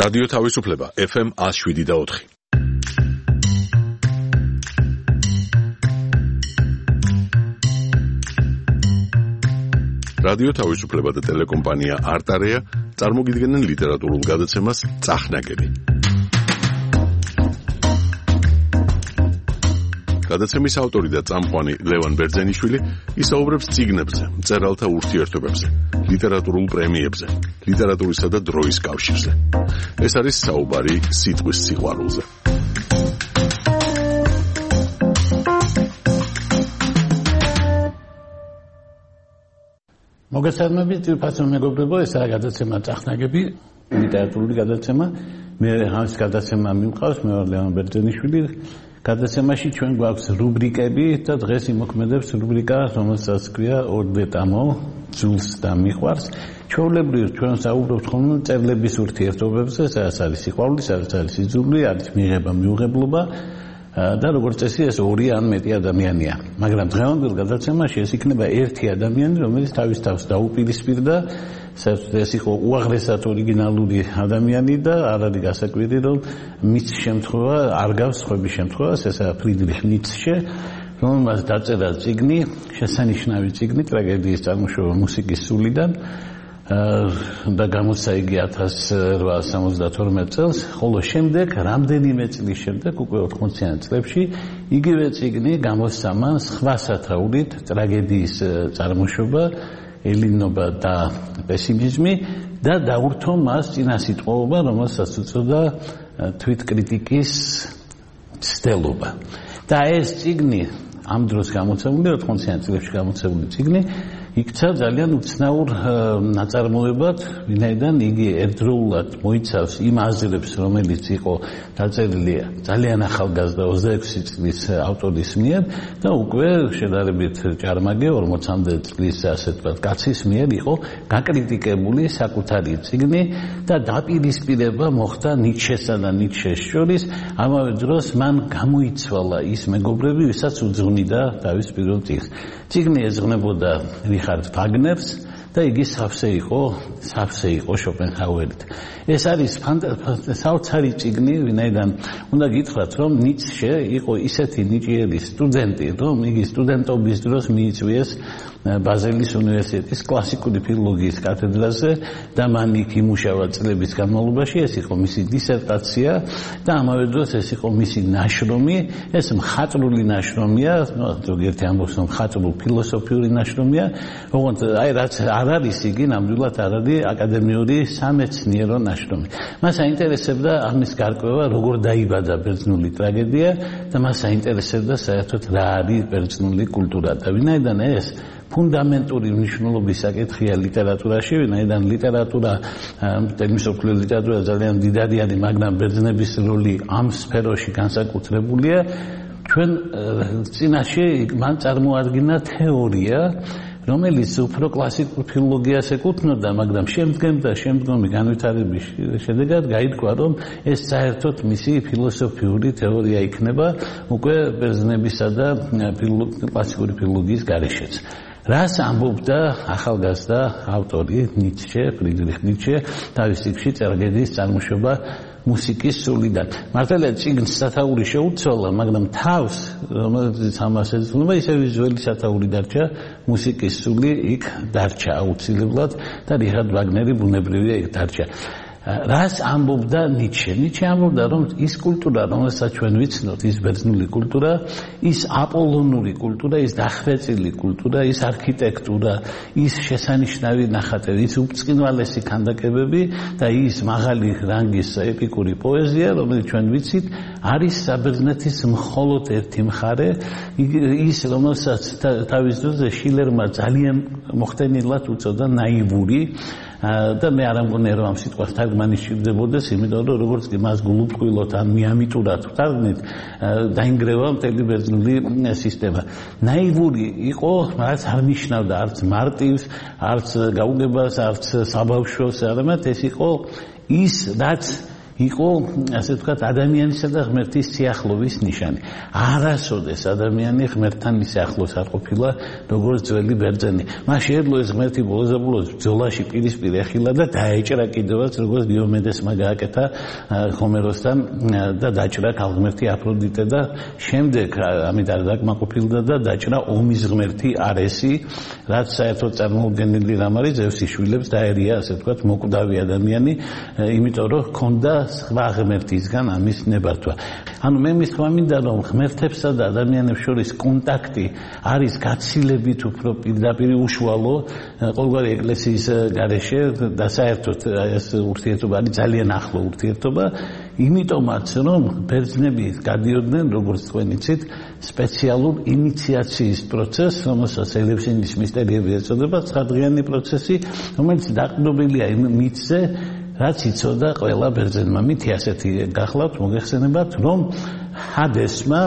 რადიო თავისუფლება FM 107.4. რადიო თავისუფლება და ტელეკომპანია არტარეა წარმოგიდგენენ ლიტერატურულ გადაცემას წახნაგები. გადაცემის ავტორი და წამყვანი ლევან ბერძენიშვილი ისაუბრებს წიგნებზე, მწერალთა ურთიერთობებზე, ლიტერატურულ პრემიებზე, ლიტერატურისა და დროის კავშირზე. ეს არის საუბარი სიტყვის სიყვარულზე. მოგესალმებით, ძვირფასო მეგობრებო, ეს არის გადაცემა წახნაგები, ლიტერატურული გადაცემა. მე ამის გადაცემა მიმყავს, მე ვარ ლევან ბერძენიშვილი. გადაცემაში ჩვენ გვაქვს რუბრიკები და დღეს იმოქმედებს რუბრიკა, რომელსაც ქვია ორდეტამო, ძულს და მიყვარს. ჩვეულებრივ ჩვენ საუბრობთ ხოლმე მწერლების ურთიერთობებზე, სადაც არის სიყვარული, სადაც არის იძული, არის მიღება, მიუღებლობა. და როგორც წესი ეს ორი ან მეტი ადამიანია. მაგრამ დღევანდელ გადაცემაში ეს იქნება ერთი ადამიანი, რომელიც თავის თავს დაუპირისპირდა, ეს იყო უაღრესად ორიგინალური ადამიანი და არ არის გასაკვირი, რომ მის შემთხვევა არ გავს სხვების შემთხვევას, ესაა ფრიდრიხ ницშე, რომელმაც დაწერა წიგნი, შესანიშნავი წიგნი, ტრაგედიის წარმოშობა მუსიკის სულიდან. და გამოსცა იგი 1872 წელს, ხოლო შემდეგ რამდენიმე წლის შემდეგ, უკვე 80-იან წლებში, იგივე წიგნი გამოსცა მან სხვა სათაურით, ტრაგედიის წარმოშობა, ელინობა და პესიმიზმი და დაურთო მას წინასიტყვაობა, რომელსაც უწოდა თვითკრიტიკის ცდელობა. და ეს წიგნი ამ დროს გამოცემული, 80-იან წლებში გამოცემული წიგნი იქცა ძალიან უცნაურ ნაწარმოებად, ვინაიდან იგი ერთდროულად მოიცავს იმ აზრებს, რომელიც იყო დაწერილი ძალიან ახალგაზრდა 26 წლის ავტორის მიერ და უკვე შედარებით ჭარმაგე 40-მდე წლის ასე ვთქვათ კაცის მიერ იყო გაკრიტიკებული საკუთარი წიგნი და დაპირისპირება მოხდა ნიშესა და ნიშეს შორის. ამავე დროს მან გამოიცვალა ის მეგობრები, ვისაც უძღვნიდა თავის პირველ წიგნს. წიგნი ეძღვნებოდა რიხარდ ვაგნერს და იგი სავსე იყო შოპენჰაუერით. ეს არის საოცარი წიგნი, ვინაიდან უნდა გითხრათ, რომ ницშე იყო ისეთი ნიჭიერი სტუდენტი, რომ იგი სტუდენტობის დროს მიიწვიეს ბაზელის უნივერსიტეტის კლასიკური ფილოლოგიის კათედრაზე და მან იქ იმუშავა წლების განმავლობაში. ეს იყო მისი დისერტაცია და ამავე დროს ეს იყო მისი ნაშრომი. ეს მხატვრული ნაშრომია, ზოგიერთი ამბობს, რომ მხატვრულ ფილოსოფიური ნაშრომია. ოღონდ რაც არ არის იგი, ნამდვილად არ არის აკადემიური სამეცნიერო ნაშრომი. მას აინტერესებდა ამის გარკვევა, როგორ დაიბადა ბერძნული ტრაგედია და მას აინტერესებდა საერთოდ რა არის ბერძნული კულტურა და ვინაიდან ეს ფუნდამენტური მნიშვნელობის საკითხია ლიტერატურაში, ვინაიდან ლიტერატურა, მსოფლიო ლიტერატურა ძალიან დიდარი არის, მაგრამ ბერძნების როლი ამ სფეროში განსაკუთრებულია. ჩვენ წინაშე მან წარმოადგინა თეორია, რომელიც უფრო კლასიკურ ფილოლოგიას ეკუთვნოდა, მაგრამ შემდგომი განვითარების შედეგად გაირკვა, რომ ეს საერთოდ მისი ფილოსოფიური თეორია იქნება უკვე ბერძნებისა და კლასიკური ფილოლოგიის გარეშეც. რას ამბობდა ახალგაზრდა ავტორი ницშე, ფრიდრიხ ницშე, თავის წიგნში ტრაგედიის წარმოშობა მუსიკის სულიდან. მართალია წიგნს სათაური შეუცვალა, მაგრამ თავს, რომელიც ამას ეძღვნება, ისე ვიზუალური სათაური დარჩა, მუსიკის სული იქ დარჩა აუცილებლად და რიხარდ ვაგნერი ბუნებრივია იქ დარჩა. რას ამბობდა ницშე? ницშე ამბობდა, რომ ის კულტურა, რომელსაც ჩვენ ვიცნობთ, ის ბერძნული კულტურა, ის აპოლონური კულტურა, ის დახვეწილი კულტურა, ის არქიტექტურა, ის შესანიშნავი ნახატები, ის უბრწყინვალესი ქანდაკებები და ის მაღალი რანგის ეპიკური პოეზია, რომელიც ჩვენ ვიცით, არის საბერძნეთის მხოლოდ ერთი მხარე, ის რომელსაც თავის დროზე შილერმა ძალიან მოხდენილად უწოდა ნაივური. და მე არ ამგონია რომ ამ სიტყვას თარგმანი სჭირდებოდეს, იმიტომ რომ როგორც კი მას გულუბრყვილოთ ან მიამიტურად ვთარგმნით, დაინგრევა მთელი ბერძნული სისტემა. ნაივური იყო, რაც არ ნიშნავდა არც მარტივს, არც გაუგებას, არც საბავშვოს, არამედ ეს იყო ის, რაც იყო ასე ვთქვათ ადამიანისა და ღმერთის სიახლოვის ნიშანი. არასოდეს ადამიანი ღმერთთან ისე ახლოს არ ყოფილა, როგორც ძველი ბერძენი. მას შეეძლო ეს ღმერთი ბოლოს ბრძოლაში პირისპირ ეხილა და დაეჭრა კიდევაც, როგორც დიომედესმა გააკეთა ჰომეროსთან და დაჭრა ქალღმერთი აფროდიტე და შემდეგ ამით არ დაკმაყოფილდა და დაჭრა ომის ღმერთი არესი, რაც საერთოდ წარმოუდგენელი რამ არის, ზევსის შვილებს დაერია, ასე ვთქვათ, მოკვდავი ადამიანი, იმიტომ რომ ჰქონდა სხვა ღმერთისგან ამის ნებართვა. ანუ მე მისვლა მინდა რომ ღმერთებსა და ადამიანებს შორის კონტაქტი არის გაცილებით უფრო პირდაპირ უშუალო ყოველგვარი ეკლესიის გარეშე და საერთოდ ეს ურთიერთობა არის ძალიან ახლო ურთიერთობა, იმიტომაც რომ ბერძნები გადიოდნენ, როგორც თქვენ იცით, სპეციალურ ინიციაციის პროცესს, რომელსაც ელევსინის მისტერიები ეწოდება, 9-დღიანი პროცესი, რომელიც დაყრდნობილია იმ მითზე, რაც იცოდა ყველა ბერძენმა. მითი ასეთი გახლავთ, მოგეხსენებათ, რომ ჰადესმა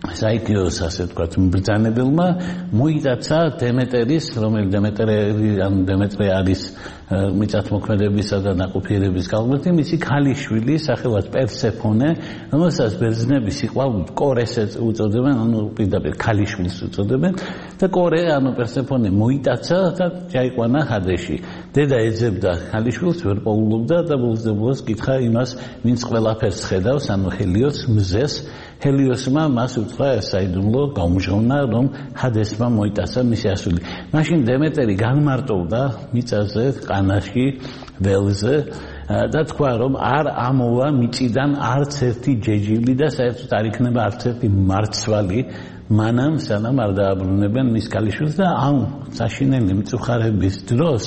საიქიოს ასე ვთქვათ მბრძანებელმა მოიტაცა დემეტერის, რომელიც დემეტრე არის მიწათმოქმედებისა და ნაყოფიერების ქალღმერთი, მისი ქალიშვილი სახელად პერსეფონე, რომელსაც ბერძნები სიყვარულით კორეს უწოდებენ, ანუ პირდაპირ ქალიშვილს უწოდებენ და კორე, ანუ პერსეფონე მოიტაცა და ჩაიყვანა ჰადესში. დედა ეძებდა ქალიშვილს, ვერ პოულობდა და ბოლოს კითხა იმას, ვინც ყველაფერს ხედავს, ანუ ჰელიოს მზეს. ჰელიოსმა მას უთხრა საიდუმლო გაუმჟღავნა, რომ ჰადესმა მოიტაცა მისი ასული. მაშინ დემეტერი განმარტოვდა მიწაზე, ყანაში, ველზე და თქვა, რომ არ ამოვა მიწიდან არც ერთი ჯეჯილი და საერთოდ არ იქნება არც ერთი მარცვალი, მანამ სანამ არ დააბრუნებენ მის ქალიშვილს და ამ საშინელი მწუხარების დროს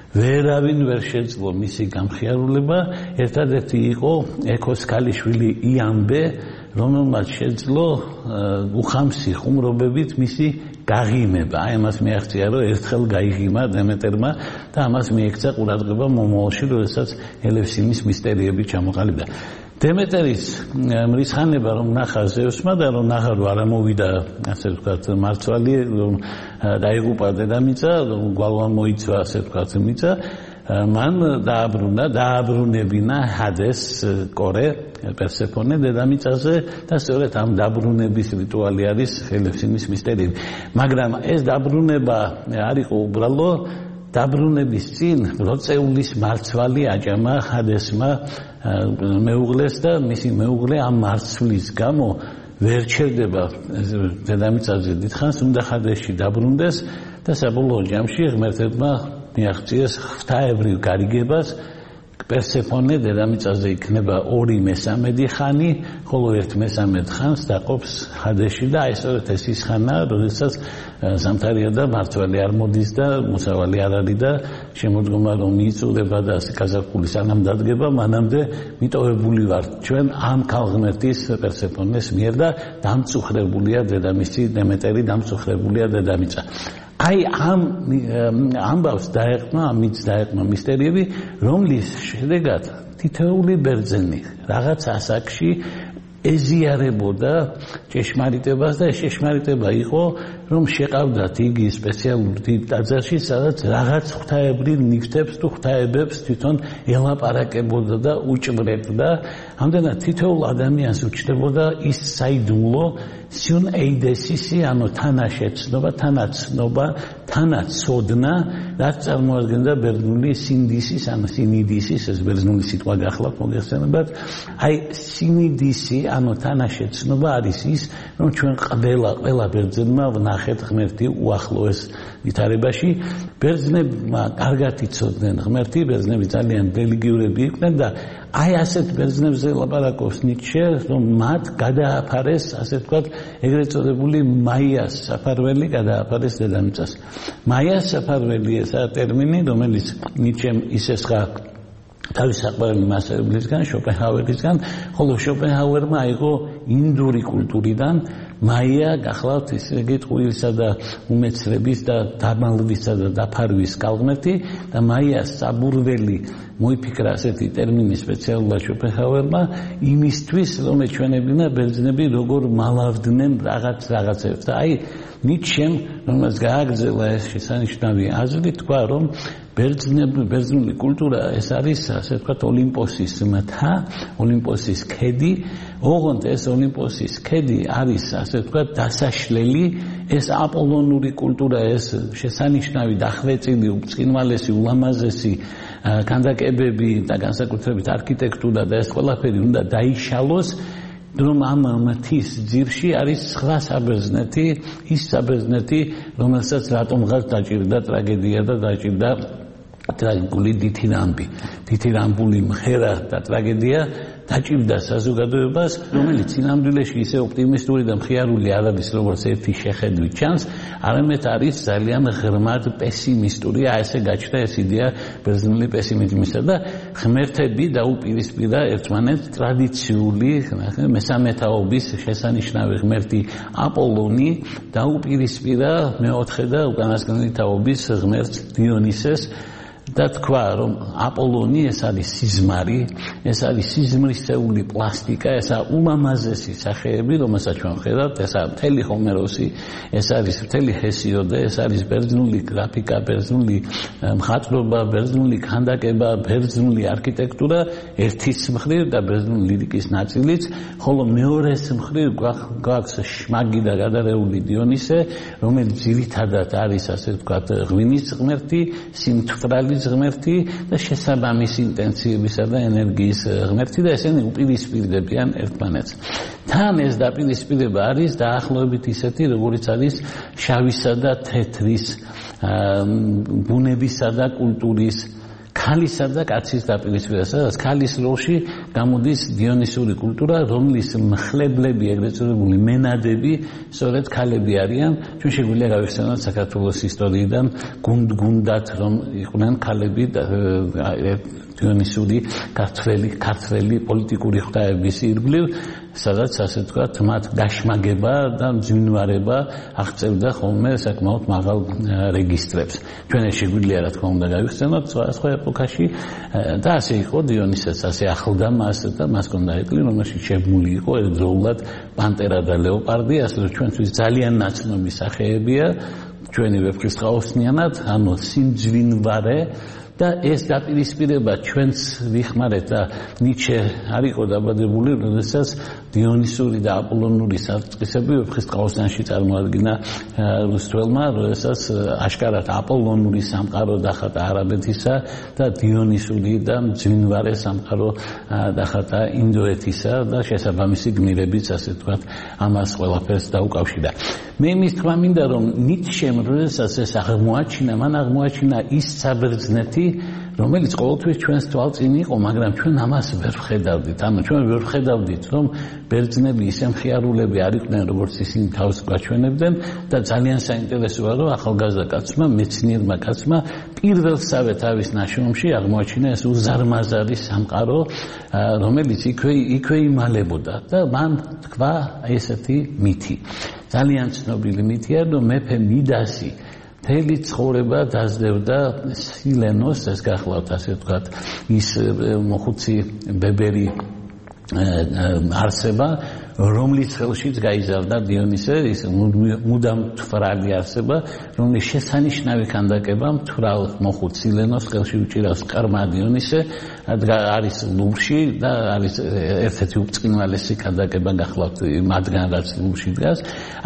ვერავინ ვერ შეძლო მისი გამხიარულება. ერთადერთი იყო ექოს ქალიშვილი იამბე, რომელმაც შეძლო უხამსი ხუმრობებით მისი გაღიმება. აი ამას მიაღწია, რომ ერთხელ გაიღიმა დემეტერმა და ამას მიექცა ყურადღება მომავალში, როდესაც ელევსინის მისტერიები ჩამოყალიბდა. დემეტერის მრისხანება რომ ნახა ზევსმა და რომ ნახა რომ არ ამოვიდა, ასე ვთქვათ, მარცვალი, რომ დაიღუპა დედამიწა, რომ გვალვან მოიცვა, ასე ვთქვათ, მიწა, მან დააბრუნებინა ჰადეს კორე პერსეფონე დედამიწაზე და სწორედ ამ დაბრუნების რიტუალი არის ელევსინის მისტერიები. მაგრამ ეს დაბრუნება არ იყო უბრალო, დაბრუნების წინ როწეულის მარცვალი აჭამა ჰადესმა მეუღლეს და მისი მეუღლე ამ მარცვლის გამო ვერ ჩერდება დედამიწაზე დიდხანს, უნდა ჰადესში დაბრუნდეს და საბოლოო ჯამში ღმერთებმა მიაღწიეს ღვთაებრივ გარიგებას. პერსეფონე დედამიწაზე იქნება 2/3 ხანი, ხოლო 1/3 ხანს დაყოფს ჰადესში და აი სწორედ ეს ის ხანაა, როდესაც ზამთარია და მარცვალი არ მოდის და მოსავალი არ არის და შემოდგომა რომ მიიწურება და გაზაფხული სანამ დადგება, მანამდე მიტოვებული ვართ ჩვენ ამ ქალღმერთის პერსეფონეს მიერ და დამწუხრებულია დედამისი დემეტერი, დამწუხრებულია დედამიწა. აი ამ ამბავს დაეყმა, ამის დაეყმა მისტერიები, რომლის შედეგად თითოეული ბერძენი რაღაც ასაკში ეზიარებოდა ჭეშმარიტებას და ეს ჭეშმარიტება იყო, რომ შეყავდათ იგი სპეციალურ დიდ ტაძარში, სადაც რაღაც ღვთაებრივ ნივთებს თუ ღვთაებებს თვითონ ელაპარაკებოდა და უჭვრებდა. ამდენად თითოეულ ადამიანს უჩნდებოდა ის საიდუმლო სიუნ ეიდესისი, ანუ თანაშეცნობა, თანაცნობა, თანაცოდნა, რაც წარმოადგენდა ბერძნული სინდისის, ანუ სინიდისის, ეს ბერძნული სიტყვა გახლავთ, მოგეხსენებათ. აი სინიდისი, ანუ თანაშეცნობა არის ის, რომ ჩვენ ყველა ბერძენმა ვნახეთ ღმერთი უახლოეს ვითარებაში. ბერძნებმა კარგად იცოდნენ ღმერთი, ბერძნები ძალიან რელიგიურები იყვნენ და აი ასეთ ბერძნებზე ლაპარაკობს ნიცშე, რომ მათ გადააფარეს, ასე ვთქვათ, ეგრეთ წოდებული მაიას საფარველი გადააფარეს დედამიწას. მაიას საფარველი ესაა ტერმინი, რომელიც ნიცშემ ისესხა თავის საყვარელი მასწავლებლისგან, შოპენჰაუერისგან, ხოლო შოპენჰაუერმა აიღო ინდური კულტურიდან მაია გახლავთ ისე იგი ტყუილისა და უმეცრების და დამალვისა და დაფარვის კალღმერთი და მაიას საბურველი მოიფიქრა ასეთი ტერმინი სპეციალურად შოპენჰაუერმა იმისთვის რომ ეჩვენებინა ბერძნები როგორ მალავდნენ რაღაცებს და აი ნიცშემ რომელსაც გააგრძელა ეს შესანიშნავი აზრი თქვა რომ ბერძნული კულტურა ეს არის ასე ვთქვათ ოლიმპოსის მთა ოლიმპოსის ქედი ოღონდ ეს ოლიმპოსის ქედი არის ასე ვთქვათ დასაშლელი ეს აპოლონური კულტურა ეს შესანიშნავი დახვეწილი უწყინვალესი ულამაზესი ქანდაკებები და განსაკუთრებით არქიტექტურა და ეს ყველაფერი უნდა დაიშალოს რომ ამ მთის ძირში არის სხვა საბერძნეთი ის საბერძნეთი რომელსაც რატომღაც დაჭირდა ტრაგედია და დაჭირდა ტრაგიკული დითირამბული მღერა და ტრაგედია დაჭირდა საზოგადოებას რომელიც წინამდვილეში ისე ოპტიმისტური და მხიარული არ არის როგორც ერთი შეხედვით ჩანს არამედ არის ძალიან ღრმად პესიმისტური ესე გაჩნდა ეს იდეა ბერძნული პესიმიზმისა და ღმერთები დაუპირისპირა ერთმანეთს ტრადიციული მესამეთაობის შესანიშნავი ღმერთი აპოლონი დაუპირისპირა მეოთხე და უკანასკნელი თაობის ღმერთს დიონისეს და თქვა რომ აპოლონი ეს არის სიზმარი, ეს არის სიზმრისეული პლასტიკა, ესა უმამაზესი სახეები, რომელსაც ჩვენ ვხედავთ, ესა მთელი ჰომეროსი, ეს არის მთელი ჰესიოდე, ეს არის ბერძნული გრაფიკა, ბერძნული მხატვრობა, ბერძნული ქანდაკება, ბერძნული არქიტექტურა ერთის მხრივ და ბერძნული ლირიკის ნაწილიც, ხოლო მეორეს მხრივ გვაქვს შმაგი და გადარეული დიონისე, რომელიც ძირითადად არის ასე ვთქვათ ღვინის ღმერთი, სიმთვრალის ღმერთი და შესაბამისი ინტენსივისა და ენერგიის ღმერთი და ესენი უპირისპირდებიან ერთმანეთს. თან ეს დაპირისპირება არის დაახლოებით ისეთი, როგორიც არის შავისა და თეთრის, ბუნებისა და კულტურის ქალისა და კაცის დაპირისპირება, სადაც ქალის როლში გამოდის დიონისური კულტურა, რომლის მხლებლები, ეგრეთ წოდებული მენადები, სწორედ ქალები არიან. ჩვენ შეგვიძლია გავიხსენოთ საქართველოს ისტორიიდან გუნდ-გუნდად, რომ იყვნენ ქალები დიონისური ქართველი პოლიტიკური ღვთაების ირგვლივ, სადაც ასე ვთქვათ, მათ გაშმაგება და მძვინვარება აღწევდა ხოლმე საკმაოდ მაღალ რეგისტრებს. ჩვენ ეს შეგვიძლია რა თქმა უნდა გავიხსენოთ სხვა ეპოქაში და ასე იყო დიონისეც, ასე ახლდა მას და მას ჰქონდა ეტლი, რომელშიც შემული იყო ერთდროულად პანტერა და ლეოპარდი, ასე რომ ჩვენთვის ძალიან ნაცნობი სახეებია, ჩვენი ვეფხისტყაოსნიანად, ანუ სიმძვინვარე და ეს დაპირისპირება ჩვენს ვიხმარეთ და ნიცშე არ იყო დაბადებული, როდესაც დიონისური და აპოლონური საწყისები ვეფხისტყაოსნიაში წარმოადგინა რუსთველმა, როდესაც აშკარად აპოლონური სამყარო დახატა არაბეთისა და დიონისური და მძვინვარე სამყარო დახატა ინდოეთისა და შესაბამისი გმირებიც ასე ვთქვათ ამას ყველაფერს დაუკავშირა. მე იმის თქმა მინდა რომ ნიცშემ როდესაც ეს აღმოაჩინა, მან აღმოაჩინა ის საბერძნეთი რომელიც ყოველთვის ჩვენს თვალწინ იყო, მაგრამ ჩვენ ამას ვერ ვხედავდით. ანუ ჩვენ ვერ ვხედავდით, რომ ბერძნები ისე მხიარულები არ იყვნენ, როგორც ისინი თავს გვაჩვენებდნენ და ძალიან საინტერესოა, რომ ახალგაზრდა კაცმა, მეცნიერმა კაცმა პირველსავე თავის ნაშრომში აღმოაჩინა ეს უზარმაზარი სამყარო, რომელიც იქვე იმალებოდა და მან თქვა ესეთი მითი. ძალიან ცნობილი მითია, რომ მეფე მიდასი მთელი ცხოვრება დაძლებდა სილენოს, ეს გახლავთ ასე ვთქვათ, ის მოხუცი ბებერი არსება, რომლის ხელშიც გაიზარდა დიონისე, ის მუდამ თვრალი არსება, რომლის შესანიშნავი ქანდაკება მთვრალ მოხუც სილენოს ხელში უჭირავს ყრმა დიონისე, არის ლუვრში და არის ერთ-ერთი უწყინვალესი ქანდაკება გახლავთ მათგან, რაც ლუვრში დგას.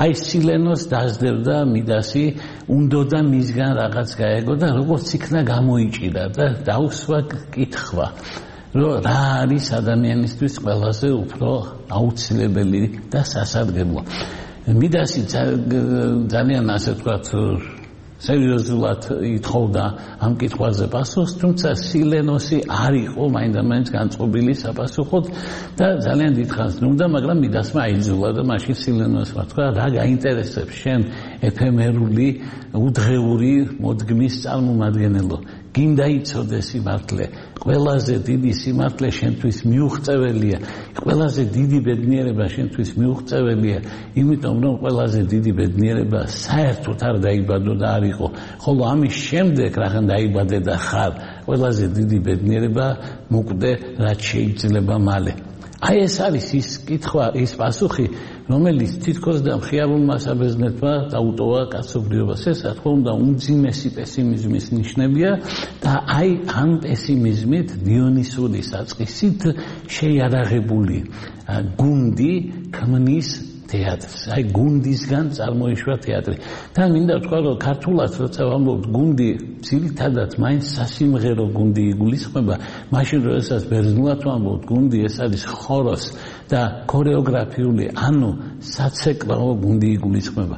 აი სილენოს დაძლებდა მიდასი, უნდოდა მისგან რაღაც გაეგო და როგორც იქნა გამოიჭირა და დაუსვა კითხვა. რა არის ადამიანისთვის ყველაზე უფრო აუცილებელი და სასარგებლო. მიდასი ძალიან ასე ვთქვათ სერიოზულად ითხოვდა ამ კითხვაზე პასუხს, თუმცა სილენოსი არ იყო მაინდამაინც განწყობილი საპასუხოდ და ძალიან დიდხანს ნუდა, მაგრამ მიდასმა აიძულა და მაშინ სილენოსმა თქვა, რა გაინტერესებს შენ ეფემერული უდღეური მოდგმის წარმომადგენელო. გინდა იცოდე სიმართლე, ყველაზე დიდი სიმართლე შენთვის მიუღწეველია, ყველაზე დიდი ბედნიერება შენთვის მიუღწეველია, იმიტომ რომ ყველაზე დიდი ბედნიერება საერთოდ არ დაიბადო და არ იყო, ხოლო ამის შემდეგ რაღან დაიბადე და ხარ, ყველაზე დიდი ბედნიერება მოკვდე, რაც შეიძლება მალე. აი ეს არის ის კითხვა, ის პასუხი, რომელიც თითქოს და მხიარულმა საბერძნეთმა დაუტოვა კაცობრიობას. ეს რა თქმა უნდა უმძიმესი პესიმიზმის ნიშნებია და აი ამ პესიმიზმით დიონისური საწყისით შეიარაღებული გუნდი ქმნის თეატრს. აი გუნდისგან წარმოიშვა თეატრი. და მინდა ვთქვა, რომ ქართულად როცა ვამბობთ გუნდი, ძირითადად მაინც სასიმღერო გუნდი იგულისხმება, მაშინ როდესაც ბერძნულად ვამბობთ გუნდი, ეს არის ხოროს და ქორეოგრაფიული, ანუ საცეკვაო გუნდი იგულისხმება.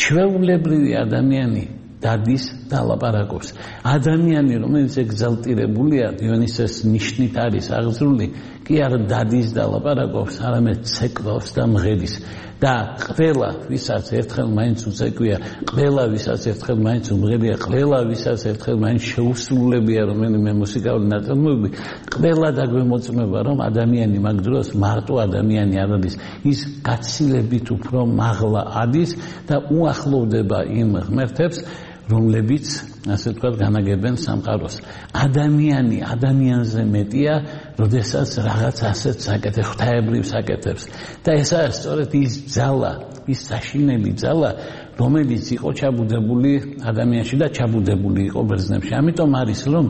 ჩვეულებრივი ადამიანი დადის და ლაპარაკობს. ადამიანი, რომელიც ეგზალტირებულია, დიონისეს ნიშნით არის აღზრული, კი არა დადის და ლაპარაკობს, არამედ ცეკვავს და მღერის. და ყველა ვისაც ერთხელ მაინც უცეკვია, ყველა ვისაც ერთხელ მაინც უმღერია, ყველა ვისაც ერთხელ მაინც შეუსრულებია რომელიმე მუსიკალური ნაწარმოები, ყველა დაგვემოწმება, რომ ადამიანი მაგ დროს მარტო ადამიანი არ არის, ის გაცილებით უფრო მაღლა ადის და უახლოვდება იმ ღმერთებს, რომლებიც ასე ვთქვათ განაგებენ სამყაროს. ადამიანი ადამიანზე მეტია, როდესაც რაღაც ასეთ საკეთებს, ღვთაებრივ საკეთებს. და ეს არის სწორედ ის ძალა, ის საშინელი ძალა, რომელიც იყო ჩაბუდებული ადამიანში და ჩაბუდებული იყო ბერძნებში. ამიტომ არის, რომ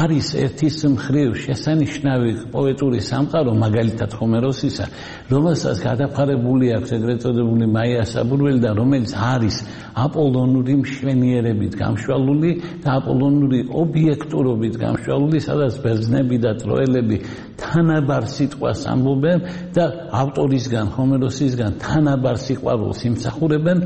არის ერთის მხრივ შესანიშნავი პოეტური სამყარო, მაგალითად ჰომეროსისა, რომელსაც გადაფარებული აქვს ეგრეთ წოდებული მაია საბურველი და რომელიც არის აპოლონური მშვენიერებით გამშვალული და აპოლონური ობიექტურობით გამშვალული, სადაც ბერძნები და ტროელები თანაბარ სიტყვას ამბობენ და ავტორისგან, ჰომეროსისგან თანაბარ სიყვარულს იმსახურებენ.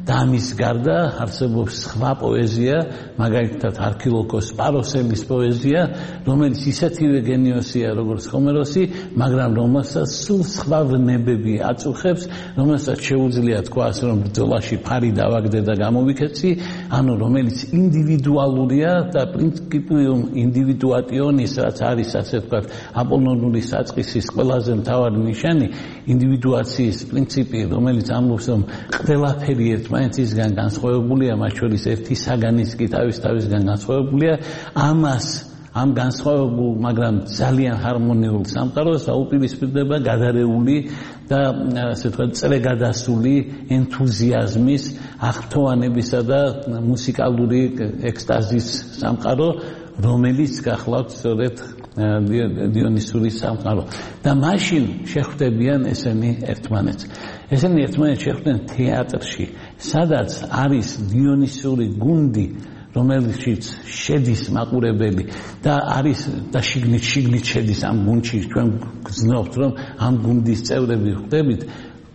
და ამის გარდა არსებობს სხვა პოეზია, მაგალითად არქილოკოს პაროსელის პოეზია, რომელიც ისეთივე გენიოსია, როგორც ჰომეროსი, მაგრამ რომელსაც სულ სხვა ვნებები აწუხებს, რომელსაც შეუძლია თქვას, რომ ბრძოლაში ფარი დავაგდე და გამოვიქეცი, ანუ რომელიც ინდივიდუალურია და პრინციპიუმ ინდივიდუატიონის, რაც არის ასე ვთქვათ, აპოლონური საწყისის ყველაზე მთავარი ნიშანი, ინდივიდუაციის პრინციპი, რომელიც ამბობს, რომ ყველაფერი ერთმანეთისგან განსხვავებულია, მათ შორის ერთი საგანიც კი თავისგან განსხვავებულია, ამას ამ განსხვავებულ, მაგრამ ძალიან ჰარმონიულ სამყაროს აუპირისპირდება გადარეული და ასე ვთქვათ, წრეგადასული ენთუზიაზმის, აღფრთოვანებისა და მუსიკალური ექსტაზის სამყარო, რომელიც გახლავთ სწორედ დიონისური სამყარო. და მაშინ შეხვდებიან ესენი ერთმანეთს. ესენი ერთმანეთს შეხვდნენ თეატრში, სადაც არის დიონისური გუნდი, რომელშიც შედის მაყურებელი და არის და შიგნით შედის ამ გუნდში. ჩვენ გძნობთ, რომ ამ გუნდის წევრები ხვდებით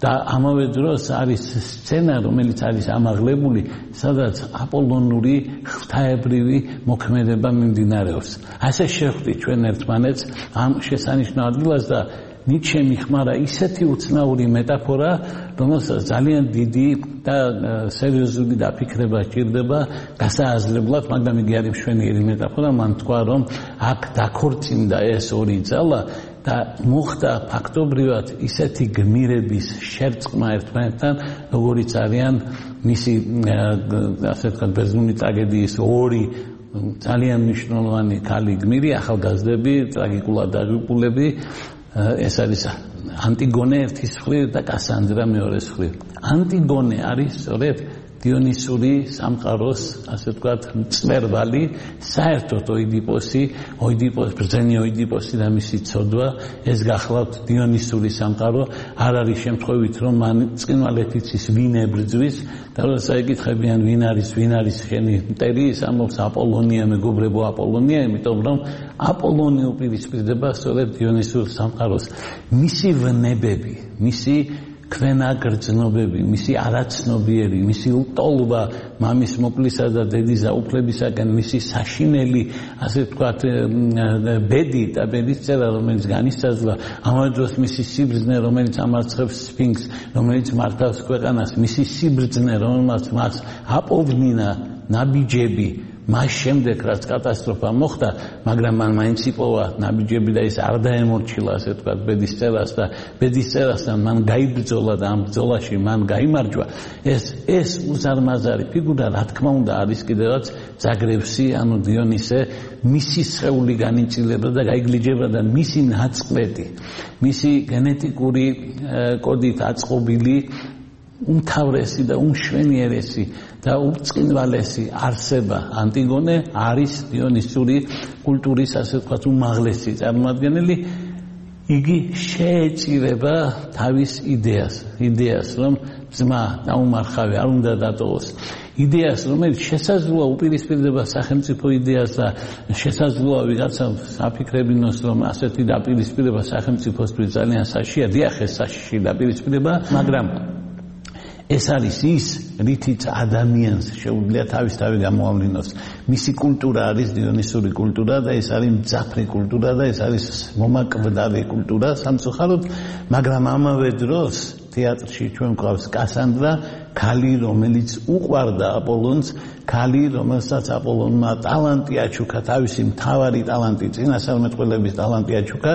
და ამავე დროს არის სცენა, რომელიც არის ამაღლებული, სადაც აპოლონური ღვთაებრივი მოქმედება მიმდინარეობს. ასე შეხვდით ჩვენ ერთმანეთს ამ შესანიშნავ ადგილას და ნიჩე მიხმარა ისეთი უცნაური მეტაფორა, რომელსაც ძალიან დიდი და სერიოზული დაფიქრება სჭირდება გასააზრებლად, მაგრამ იგი არის მშვენიერი მეტაფორა. მან თქვა, რომ აქ დაქორწინდა ეს ორი ძალა და მოხდა ფაქტობრივად ისეთი გმირების შერწყმა ერთმანეთთან, როგორიც არიან მისი ასე ვთქვათ ბერძნული ტრაგედიის ორი ძალიან მნიშვნელოვანი ქალი გმირი, ახალგაზრდები, ტრაგიკულად დაღუპულები. ეს არის ანტიგონე ერთის მხრივ და კასანდრა მეორეს მხრივ. ანტიგონე არის სწორედ დიონისური სამყაროს, ასე ვთქვათ, მწვერვალი, საერთოდ ბრძენი ოიდიპოსი და მისი ცოდვა, ეს გახლავთ დიონისური სამყარო, არ არის შემთხვევით, რომ მან წყინვალეთ იცის ვინ ებრძვის და როცა ეკითხებიან ვინ არის შენი მტერი, ის ამბობს აპოლონია, მეგობრებო აპოლონია, იმიტომ რომ აპოლონი უპირისპირდება სწორედ დიონისურ სამყაროს. მისი ვნებები, მისი ქვენა გრძნობები, მისი არაცნობიერი, მისი ლტოლვა მამის მოკლისა და დედის აუფლებისაგან, მისი საშინელი, ასე ვთქვათ, ბედი და ბედისწერა, რომელიც განისაზღვრა, ამავე დროს მისი სიბრძნე, რომელიც ამარცხებს სფინქსს, რომელიც მართავს ქვეყანას, მისი სიბრძნე, რომელმაც მას აპოვნინა ნაბიჯები, მას შემდეგ რაც კატასტროფა მოხდა, მაგრამ მან მაინც იპოვა ნაბიჯები და ის არ დაემორჩილა, ასე ვთქვათ, ბედის წერასთან მან გაიბრძოლა და ამ ბრძოლაში მან გაიმარჯვა. ეს უზარმაზარი ფიგურა, რა თქმა უნდა, არის კიდევაც ზაგრევსი, ანუ დიონისე, მისი სხეული განიცილება და გაიგლიჯება და მისი ნაწყვეტი, მისი გენეტიკური კოდით აწყობილი უმთავრესი და უმშვენიერესი და უწყინვალესი არსება ანტიგონე არის დიონისური კულტურის, ასე ვთქვათ, უმაღლესი წარმომადგენელი. იგი შეეწირება თავის იდეას, რომ ძმა დაუმარხავი არ უნდა დატოვოს. იდეას, რომელიც შესაძლოა უპირისპირდება სახელმწიფო იდეას და შესაძლოა ვიღაცა აფიქრებინოს, რომ ასეთი დაპირისპირება სახელმწიფოსთვის ძალიან საშია, დიახ, ეს საშიში დაპირისპირება, მაგრამ ეს არის ის, რითიც ადამიანს შეუძლია თავისთავად გამოავლინოს. მისი კულტურა არის დიონისური კულტურა და ეს არის მძაფრი კულტურა და ეს არის მომაკვდარი კულტურა სამწუხაროდ, მაგრამ ამავე დროს თეატრში ჩვენ გვყავს კასანდრა, ქალი, რომელიც უყვარდა აპოლონს, ქალი, რომელსაც აპოლონმა ტალანტი აჩუქა, თავისი მთავარი ტალანტი, წინასწარმეტყველების ტალანტი აჩუქა,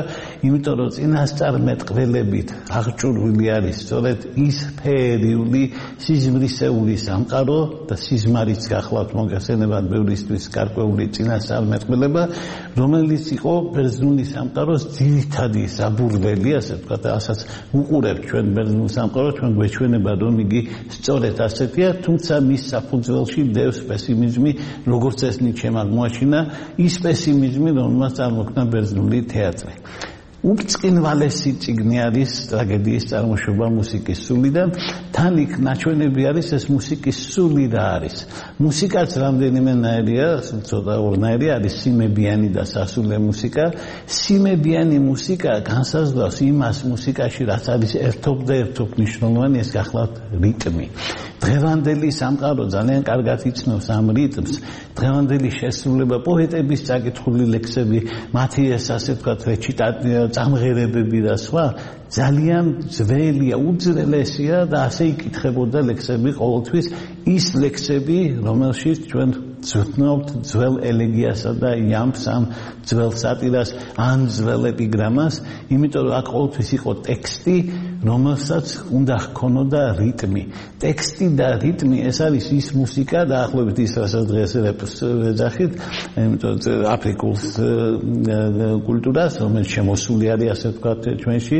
იმიტომ რომ წინასწარმეტყველებით აღჭურვილი არის სწორედ ის ფეერიული, სიზმრისეული სამყარო და სიზმარიც გახლავთ მოგესწრებათ ბევრისთვის გარკვეული წინასწარმეტყველება, რომელიც იყო ბერძნული სამყაროს ძირითადი საბუрлელი, ასე ვთქვათ, ასაც უყურებთ ჩვენ ბერძნულ სამყაროს, ჩვენ გვეჩვენება, რომ იგი სწორედ ასეთია, თუმცა მის საფუძველში დევს პესიმიზმი, როგორც ეს ნიჩემ აღმოაჩინა, ის პესიმიზმი, რომელმაც წარმოქმნა ბერძნული თეატრი. უწყინვალესი წიგნი არის ტრაგედიის წარმოშობა მუსიკის სულიდან, თან იქ ნაჩვენები არის ეს მუსიკის სული რა არის. მუსიკაც რამდენიმე ნაირია, ცოტა ორნაირი არის სიმებიანი და სასულე მუსიკა. სიმებიანი მუსიკა განსაზღვრავს იმას მუსიკაში, რაც არის ერთობ მნიშვნელოვანი, ეს გახლავთ რიტმი. დღევანდელი სამყარო ძალიან კარგად იცნობს ამ რიტმს. დღევანდელი შესრულება, პოეტების წაკითხული ლექსები, მათი ეს ასე ვთქვათ წამღერებები და სხვა ძალიან ძველია, უძველესია და ასე იკითხებოდა ლექსები ყოველთვის, ის ლექსები, რომელშიც ჩვენ ვცნობთ ძველ ელეგიასა და იამბს, ამ ძველ სატირას, ან ძველ ეპიგრამას, იმიტომ რომ აქ ყოველთვის იყო ტექსტი, რომელსაც უნდა ჰქონოდა რიტმი. ტექსტი და რიტმი, ეს არის ის მუსიკა, დაახლოებით ის, რასაც დღეს რეპს ვეძახით, იმიტომ აფრიკულ კულტურას, რომელიც შემოსული არის, ასე ვთქვათ, ჩვენში,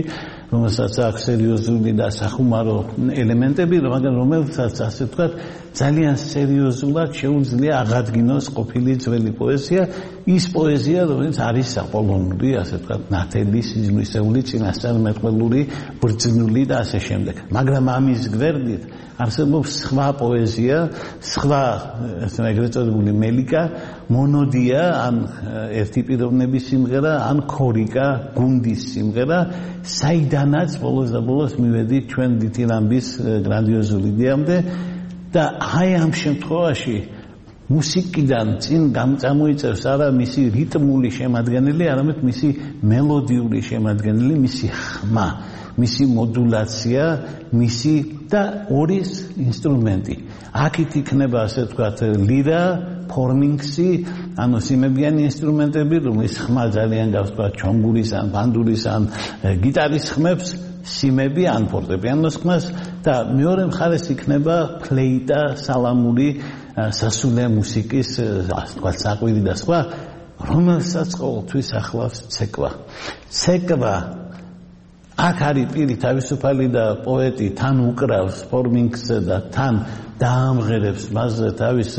რომელსაც აქვს სერიოზული და სახუმარო ელემენტები, მაგრამ რომელსაც, ასე ვთქვათ, ძალიან სერიოზულად შეუძლია აღადგინოს ყოფილი ძველი პოეზია, ის პოეზია, რომელიც არის აპოლონური, ასე ვთქვათ, ნათელი, სიზმრისეული, წინასწარმეტყველური, ბრძნული და ასე შემდეგ. მაგრამ ამის გვერდით არსებობს სხვა პოეზია, სხვა ეგრეთ წოდებული მელიკა, მონოდია, ან ერთი პიროვნების სიმღერა, ან ქორიკა, გუნდის სიმღერა, საიდანაც ბოლოს და ბოლოს მივედით ჩვენ დითილამბის გრანდიოზული იდეამდე და აი ამ შემთხვევაში მუსიკიდან წინ გამოიწევს არა მისი რიტმული შემადგენელი, არამედ მისი მელოდიური შემადგენელი, მისი ხმა, მისი მოდულაცია, მისი და ორის ინსტრუმენტი. აქეთ იქნება, ასე ვთქვათ, ლირა, ფორმინგსი, ანუ სიმებიანი ინსტრუმენტები, რომლის ხმა ძალიან გავსწრათ ჩონგურის ან ბანდურის ან გიტარის ხმებს, სიმები ან ფორტეპიანოს ხმას და მეორე მხარეს იქნება ფლეიტა, სალამური, სასულე მუსიკის, ასე ვთქვათ, საყვირი და სხვა, რომელსაც ყოველთვის ახლავს ცეკვა. ცეკვა აქ არის პირი თავისუფალი და პოეტი თან უკრავს ფორმინგსზე და თან დაამღერებს მასზე თავის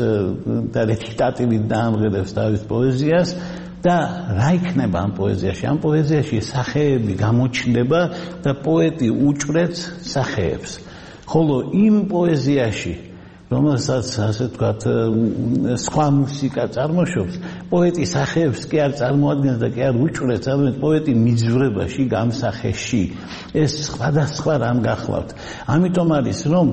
და რეჩიტატივით დაამღერებს თავის პოეზიას და რა იქნება ამ პოეზიაში? ამ პოეზიაში სახეები გამოჩნდება და პოეტი უჭვრեց სახეებს. ხოლო იმ პოეზიაში, რომელსაც ასე ვთქვათ, სხვა მუსიკა წარმოშობს, პოეტი სახეებს კი არ წარმოადგენს და კი არ უჭვრեց, არამედ პოეტი მიძვრებაში, გამსახეში. ეს სხვადასხვა რამ გახლავთ. ამიტომ არის, რომ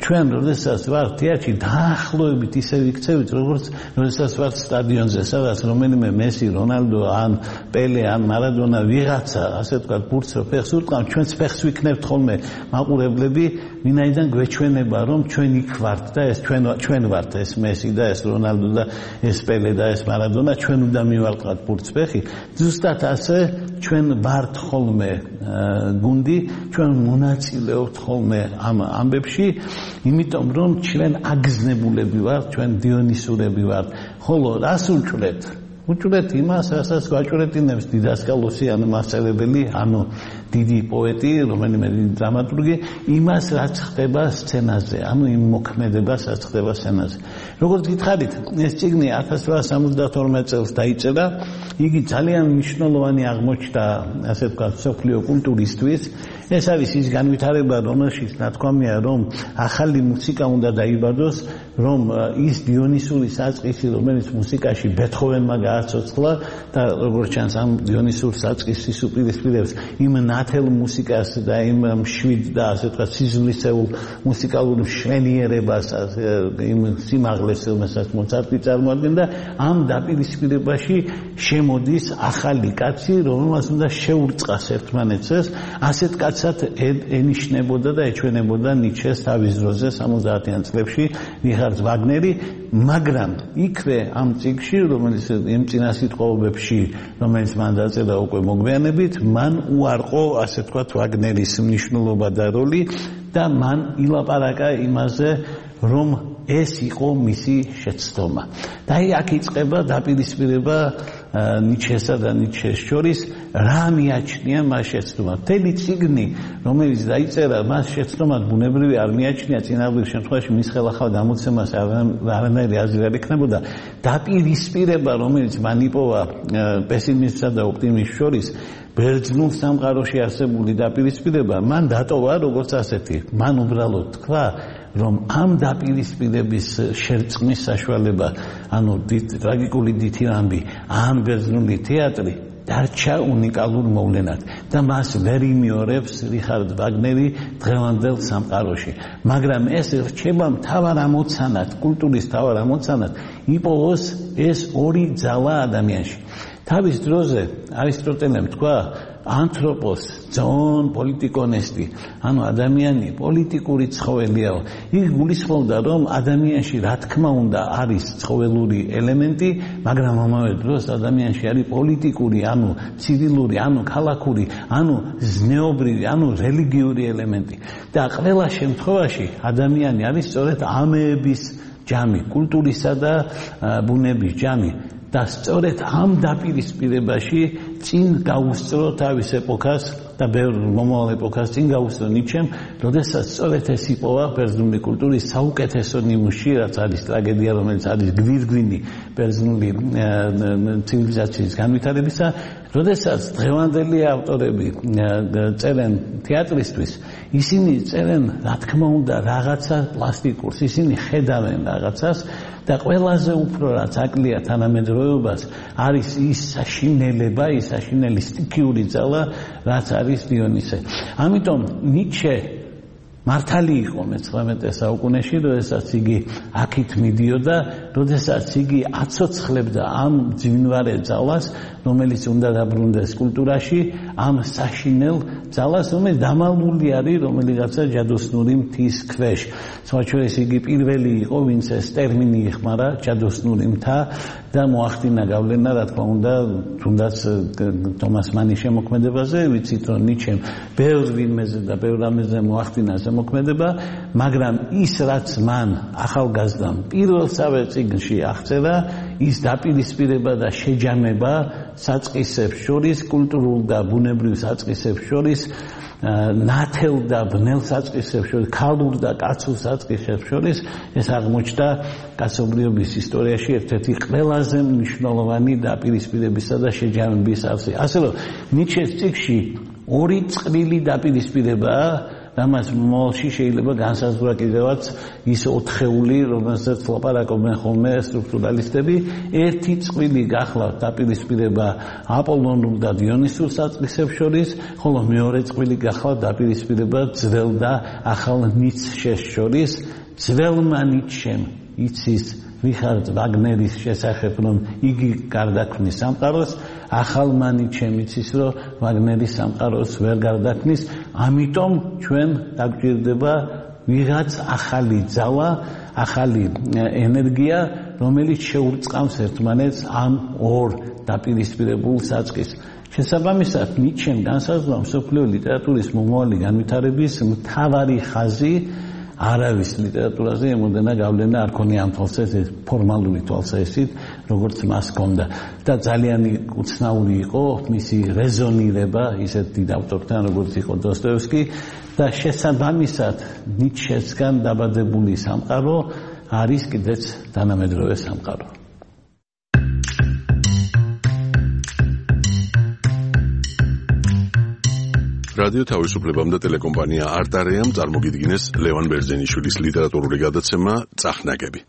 ჩვენ როდესაც ვართ თეატრში, დაახლოებით ისე ვიქცევით, როგორც როდესაც ვართ სტადიონზე, სადაც რომელიმე მესი, რონალდო, ან პელე, ან მარადონა ვიღაცა, ასე ვთქვათ, ბურთს რო ფეხს ურტყამთ, ჩვენც ფეხს ვიქნებთ ხოლმე მაყურებლები, ვინაიდან გვეჩვენება, რომ ჩვენ იქ ვართ და ეს ჩვენ ვართ ეს მესი და ეს რონალდო და ეს პელე და ეს მარადონა ჩვენ უნდა მივალყავთ ბურთსფეხი ზუსტად ასე ჩვენ ვართ ხოლმე გუნდი ჩვენ მონაწილეობთ ხოლმე ამ ამბებში იმიტომ რომ ჩვენ აგზნებულები ვართ ჩვენ დიონისურები ვართ ხოლო რას უჭვრეთ უჭვრეთ იმას რასაც გვაჭვრეთინებს დიდასკალოსი ანუ მასწავლებელი ანუ დიდი პოეტი რომელიმე დრამატურგი იმას რაც ხდება სცენაზე ანუ იმ მოქმედებას რაც ხდება სცენაზე როგორც გითხარით ეს წიგნი 1872 წელს დაიწერა იგი ძალიან მნიშვნელოვანი აღმოჩნდა ასე ვთქვათ სოფლიო კულტურისთვის ეს არის ის განვითარება რომელშიც ნათქვამია რომ ახალი მუსიკა უნდა დაიბადოს რომ ის დიონისური საწყისი რომელიც მუსიკაში ბეთჰოვენმა გააცოცხლა და როგორც ჩანს ამ დიონისურ საწყისის უპირისპირებს იმ ნათელ მუსიკას და იმ მშვიდ და ასე ვთქვათ სიზმრისეულ მუსიკალურ მშვენიერებას იმ სიმაღლეს რომელსაც მოცარტი წარმოადგენდა ამ დაპირისპირებაში შემოდის ახალი კაცი რომელსაც უნდა შეურწყას ერთმანეთს ასეთ კაცად ენიშნებოდა და ეჩვენებოდა ნიჩეს თავის დროზე 70-იან წლებში რიხარდ ვაგნერი მაგრამ იქვე ამ წიგნში რომელიც იმ წინასიტყვაობებში რომელიც მან დაწერა უკვე მოგვიანებით მან უარყო ასე ვთქვათ ვაგნერის მნიშვნელობა და როლი და მან ილაპარაკა იმაზე რომ ეს იყო მისი შეცდომა და აქ იწყება დაპირისპირება ნიჩესა და ნიჩეს შორის რა მიაჩნია მას შეცდომა მთელი წიგნი რომელიც დაიწერა მას შეცდომად ბუნებრივი არ მიაჩნია წინააღმდეგ შემთხვევაში მის ხელახალ გამოცემას არანაირი აზრი არ იქნებოდა დაპირისპირება რომელიც მან იპოვა პესიმისტსა და ოპტიმისტს შორის ბერძნულ სამყაროში არსებული დაპირისპირება მან დატოვა როგორც ასეთი მან უბრალოდ თქვა რომ ამ დაპირისპირების შერწყმის საშუალება ანუ ტრაგიკული დითირამბი ამ ბერძნული თეატრი დარჩა უნიკალურ მოვლენად და მას ვერ იმეორებს რიხარდ ვაგნერი დღევანდელ სამყაროში მაგრამ ეს რჩება მთავარ ამოცანად კულტურის მთავარ ამოცანად იპოვოს ეს ორი ძალა ადამიანში თავის დროზე არისტოტელემ თქვა ანთროპოს ძონ პოლიტიკონესტი ანუ ადამიანი პოლიტიკური ცხოველიაო იქ გულისხმობდა რომ ადამიანში რა თქმა უნდა არის ცხოველური ელემენტი მაგრამ ამავე დროს ადამიანში არის პოლიტიკური ანუ ცივილური ანუ ქალაქური ანუ ზნეობრივი ანუ რელიგიური ელემენტი და ყველა შემთხვევაში ადამიანი არის სწორედ ამების ჯამი კულტურისა და ბუნების ჯამი და სწორედ ამ დაპირისპირებაში წინ გაუსწრო თავის ეპოქას და ბევრ მომავალ ეპოქას წინ გაუსწრო ნიჩემ, როდესაც სწორედ ეს იპოვა ბერძნული კულტურის საუკეთესო ნიმუში, რაც არის ტრაგედია, რომელიც არის გვირგვინი ბერძნული ცივილიზაციის განვითარებისა, როდესაც დღევანდელი ავტორები წერენ თეატრისთვის, ისინი წერენ, რა თქმა უნდა, რაღაცა პლასტიკურს, ისინი ხედავენ რაღაცას და ყველაზე უფრო რაც აკლია თანამედროვეობას არის ის საშინელება, ის საშინელი სტიქიური ძალა, რაც არის დიონისე. ამიტომ ნიჩე მართალი იყო მე-19 საუკუნეში, როდესაც იგი აქით მიდიოდა, როდესაც იგი აცოცხლებდა ამ ძინვარე ძალას, რომელიც უნდა დაბრუნდეს კულტურაში, ამ საშინელ ძალას, რომელიც დამალული არის რომელიღაცა ჯადოსნური მთის ქვეშ. სხვაჩვენეს იგი პირველი იყო, ვინც ეს ტერმინი იხმარა ჯადოსნური მთა და მოახდინა გავლენა, რა თქმა უნდა, თუნდაც თომას მანის შემოქმედებაზე, ვიცით რომ ნიჩემ ბევრ ვინმეზე და ბევრ რამეზე მოახდინა მოქმედება, მაგრამ ის რაც მან ახალგაზრდამ პირველსავე წიგნში აღწერა, ის დაპირისპირება და შეჯამება საწყისებს შორის, კულტურულ და ბუნებრივ საწყისებს შორის, ნათელ და ბნელ საწყისებს შორის, ქალურ და კაცურ საწყისებს შორის, ეს აღმოჩნდა კაცობრიობის ისტორიაში ერთ-ერთი ყველაზე მნიშვნელოვანი დაპირისპირებისა და შეჯამების არსი. ასე რომ ნიჩეს წიგნში ორი წყვილი დაპირისპირებაა, რამაც მომავალში შეიძლება განსაზღვრა კიდევაც ის ოთხეული, რომელსაც ლაპარაკობენ ხოლმე სტრუქტურალისტები, ერთი წყვილი გახლავთ დაპირისპირება აპოლონურ და დიონისურ საწყისებს შორის, ხოლო მეორე წყვილი გახლავთ დაპირისპირება ძველ და ახალ ნიცშეს შორის. ძველმა ნიცშემ იცის რიხარდ ვაგნერის შესახებ, რომ იგი გარდაქმნის სამყაროს, ახალმა ნიჩემ იცის, რომ ვაგნერის სამყაროს ვერ გარდაქმნის, ამიტომ ჩვენ დაგვჭირდება ვიღაც ახალი ძალა, ახალი ენერგია, რომელიც შეურწყავს ერთმანეთს ამ ორ დაპირისპირებულ საწყის. შესაბამისად, ნიჩემ განსაზღვრა მსოფლიო ლიტერატურის მომავალი განვითარების მთავარი ხაზი არავის ლიტერატურაზე ემოდენა გავლენა არ ქონია ამ თვალსაზრისით, ფორმალური თვალსაზრისით, როგორც მას ჰქონდა. და ძალიან უცნაური იყო მისი რეზონირება ისეთ დიდ ავტორთან, როგორც იყო დოსტოევსკი და შესაბამისად ნიჩესგან დაბადებული სამყარო არის კიდეც თანამედროვე სამყარო. რადიო თავისუფლებამ და ტელეკომპანია არტარეამ წარმოგიდგინეს ლევან ბერძენიშვილის ლიტერატურული გადაცემა წახნაგები.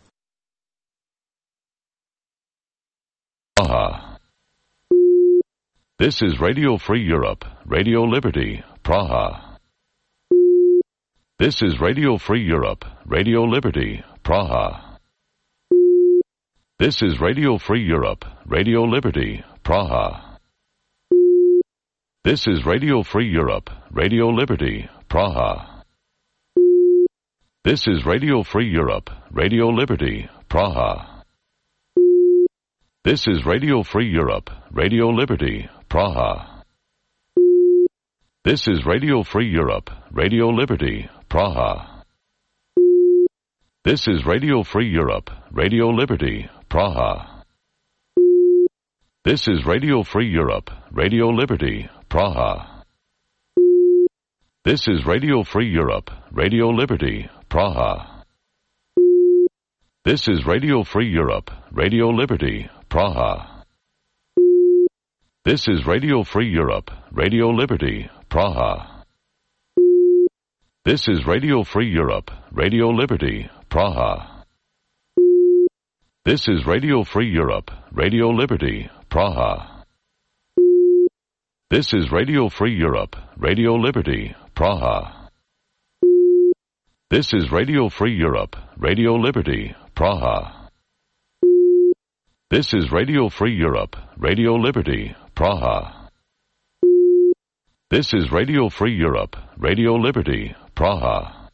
This is Radio Free Europe, Radio Liberty, Praha. This is Radio Free Europe, Radio Liberty, Praha. This is Radio Free Europe, Radio Liberty, Praha. This is Radio Free Europe, Radio Liberty, Praha. This is Radio Free Europe, Radio Liberty, Praha. This is Radio Free Europe, Radio Liberty, Praha. This is Radio Free Europe, Radio Liberty, Praha. This is Radio Free Europe, Radio Liberty, Praha. This is Radio Free Europe, Radio Liberty, Praha. This is Radio Free Europe, Radio Liberty, Praha. This is Radio Free Europe, Radio Liberty, Praha. This is Radio Free Europe, Radio Liberty, Praha. This is Radio Free Europe, Radio Liberty, Praha. This is Radio Free Europe, Radio Liberty, Praha. This is Radio Free Europe, Radio Liberty, Praha. This is Radio Free Europe, Radio Liberty, Praha. This is Radio Free Europe, Radio Liberty, Praha.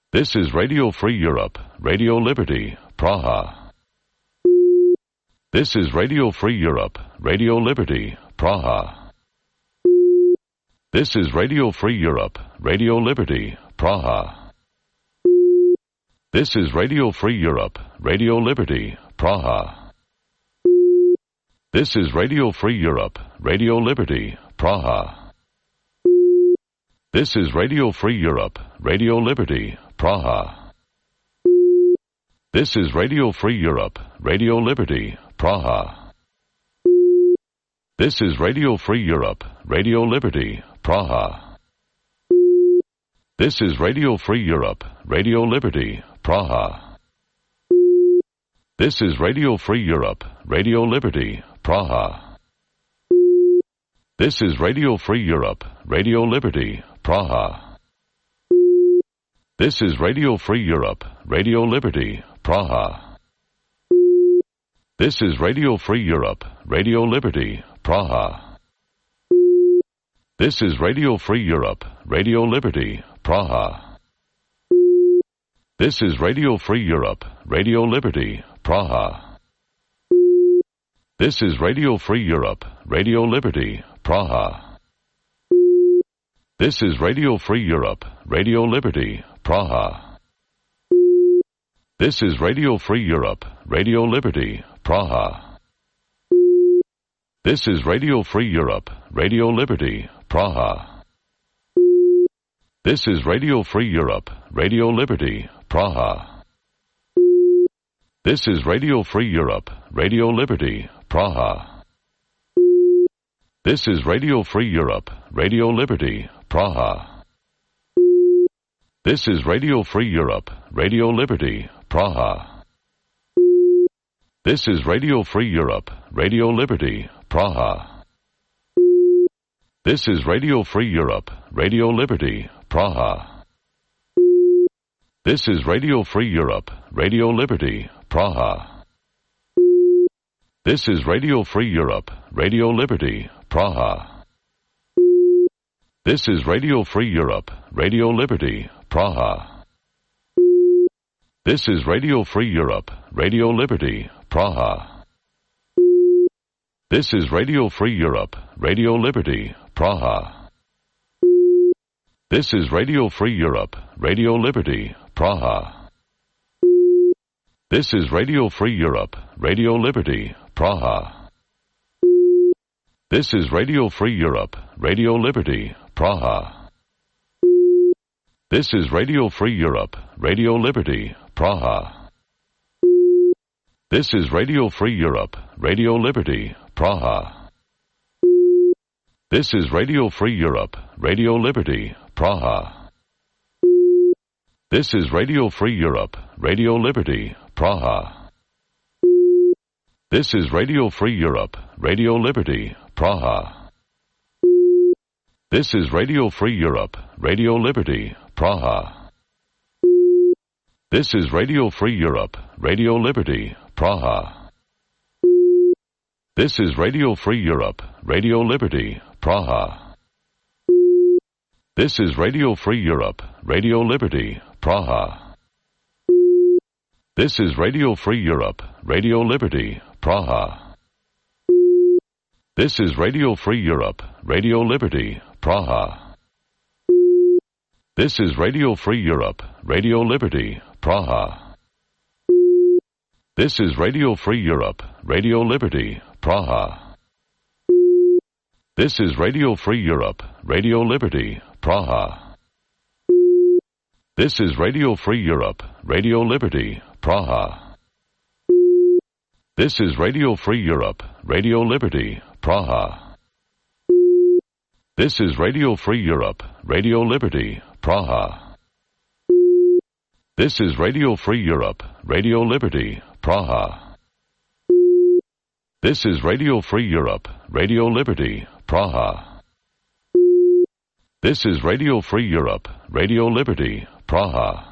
This is Radio Free Europe, Radio Liberty, Praha. This is Radio Free Europe, Radio Liberty, Praha. This is Radio Free Europe, Radio Liberty, Praha. This is Radio Free Europe, Radio Liberty, Praha. This is Radio Free Europe, Radio Liberty, Praha. This is Radio Free Europe, Radio Liberty, Praha. This is Radio Free Europe, Radio Liberty, Praha. This is Radio Free Europe, Radio Liberty, Praha. This is Radio Free Europe, Radio Liberty, Praha. This is Radio Free Europe, Radio Liberty, Praha. This is Radio Free Europe, Radio Liberty, Praha. This is Radio Free Europe, Radio Liberty, Praha. This is Radio Free Europe, Radio Liberty, Praha. This is Radio Free Europe, Radio Liberty, Praha. This is Radio Free Europe, Radio Liberty, Praha. This is Radio Free Europe, Radio Liberty, Praha. This is Radio Free Europe, Radio Liberty, Praha. This is Radio Free Europe, Radio Liberty, Praha. This is Radio Free Europe, Radio Liberty, Praha. This is Radio Free Europe, Radio Liberty, Praha. This is Radio Free Europe, Radio Liberty, Praha. This is Radio Free Europe, Radio Liberty, Praha. This is Radio Free Europe, Radio Liberty, Praha. This is Radio Free Europe, Radio Liberty, Praha. This is Radio Free Europe, Radio Liberty, Praha. This is Radio Free Europe, Radio Liberty, Praha. This is Radio Free Europe, Radio Liberty, Praha. This is Radio Free Europe, Radio Liberty, Praha. This is Radio Free Europe, Radio Liberty, Praha. This is Radio Free Europe, Radio Liberty, Praha. This is Radio Free Europe, Radio Liberty, Praha. This is Radio Free Europe, Radio Liberty, Praha. This is Radio Free Europe, Radio Liberty, Praha. This is Radio Free Europe, Radio Liberty, Praha. This is Radio Free Europe, Radio Liberty, Praha. This is Radio Free Europe, Radio Liberty, Praha. This is Radio Free Europe, Radio Liberty, Praha. This is Radio Free Europe, Radio Liberty, Praha. This is Radio Free Europe, Radio Liberty, Praha. This is Radio Free Europe, Radio Liberty, Praha. This is Radio Free Europe, Radio Liberty, Praha. This is Radio Free Europe, Radio Liberty, Praha. This is Radio Free Europe, Radio Liberty, Praha. This is Radio Free Europe, Radio Liberty, Praha. This is Radio Free Europe, Radio Liberty, Praha. This is Radio Free Europe, Radio Liberty, Praha. This is Radio Free Europe, Radio Liberty, Praha. This is Radio Free Europe, Radio Liberty, Praha. This is Radio Free Europe, Radio Liberty, Praha. This is Radio Free Europe, Radio Liberty, Praha. This is Radio Free Europe, Radio Liberty, Praha. This is Radio Free Europe, Radio Liberty, Praha. This is Radio Free Europe, Radio Liberty, Praha. This is Radio Free Europe, Radio Liberty, Praha.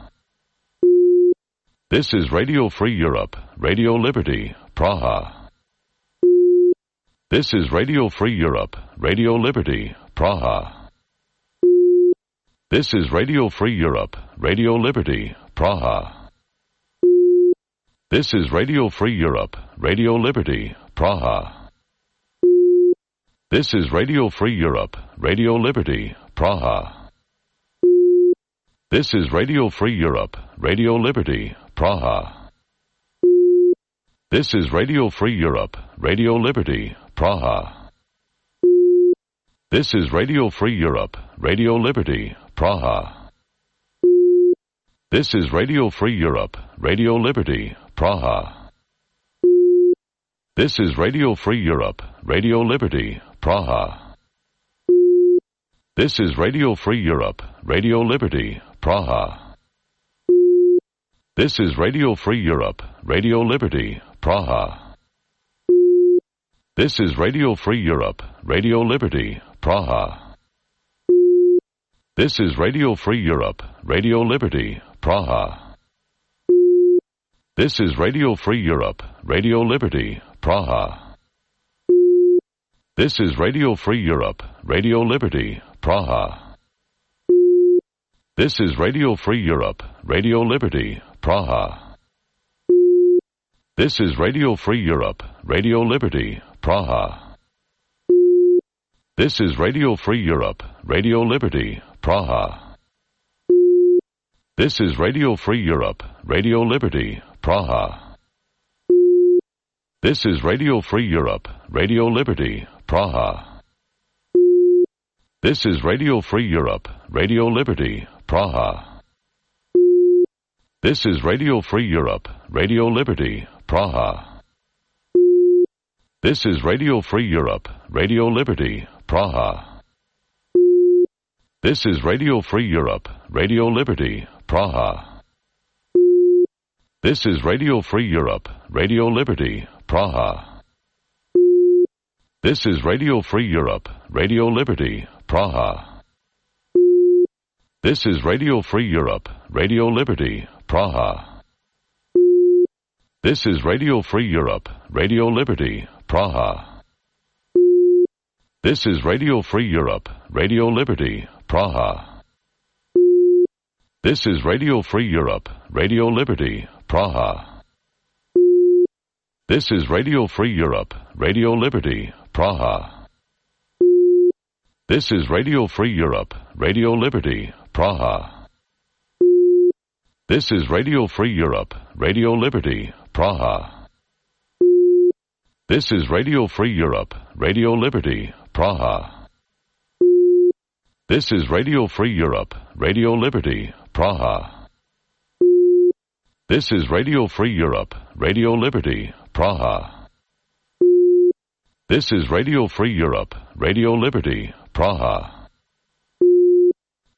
This is Radio Free Europe, Radio Liberty, Praha. This is Radio Free Europe, Radio Liberty, Praha. This is Radio Free Europe, Radio Liberty, Praha. This is Radio Free Europe, Radio Liberty, Praha. This is Radio Free Europe, Radio Liberty, Praha. This is Radio Free Europe, Radio Liberty, Praha. This is Radio Free Europe, Radio Liberty, Praha. This is Radio Free Europe, Radio Liberty, Praha. This is Radio Free Europe, Radio Liberty, Praha. This is Radio Free Europe, Radio Liberty, Praha. This is Radio Free Europe, Radio Liberty, Praha. This is Radio Free Europe, Radio Liberty, Praha. This is Radio Free Europe, Radio Liberty, Praha. This is Radio Free Europe, Radio Liberty, Praha. This is Radio Free Europe, Radio Liberty, Praha. This is Radio Free Europe, Radio Liberty, Praha. This is Radio Free Europe, Radio Liberty, Praha. This is Radio Free Europe, Radio Liberty, Praha. This is Radio Free Europe, Radio Liberty, Praha. This is Radio Free Europe, Radio Liberty, Praha. This is Radio Free Europe, Radio Liberty, Praha. This is Radio Free Europe, Radio Liberty, Praha. This is Radio Free Europe, Radio Liberty, Praha. This is Radio Free Europe, Radio Liberty, Praha. This is Radio Free Europe, Radio Liberty, Praha. This is Radio Free Europe, Radio Liberty, Praha. This is Radio Free Europe, Radio Liberty, Praha. This is Radio Free Europe, Radio Liberty, Praha. This is Radio Free Europe, Radio Liberty, Praha. This is Radio Free Europe, Radio Liberty, Praha. This is Radio Free Europe, Radio Liberty, Praha. This is Radio Free Europe, Radio Liberty, Praha. This is Radio Free Europe, Radio Liberty, Praha. This is Radio Free Europe, Radio Liberty, Praha. This is Radio Free Europe, Radio Liberty, Praha. This is Radio Free Europe, Radio Liberty, Praha. This is Radio Free Europe, Radio Liberty, Praha. This is Radio Free Europe, Radio Liberty, Praha.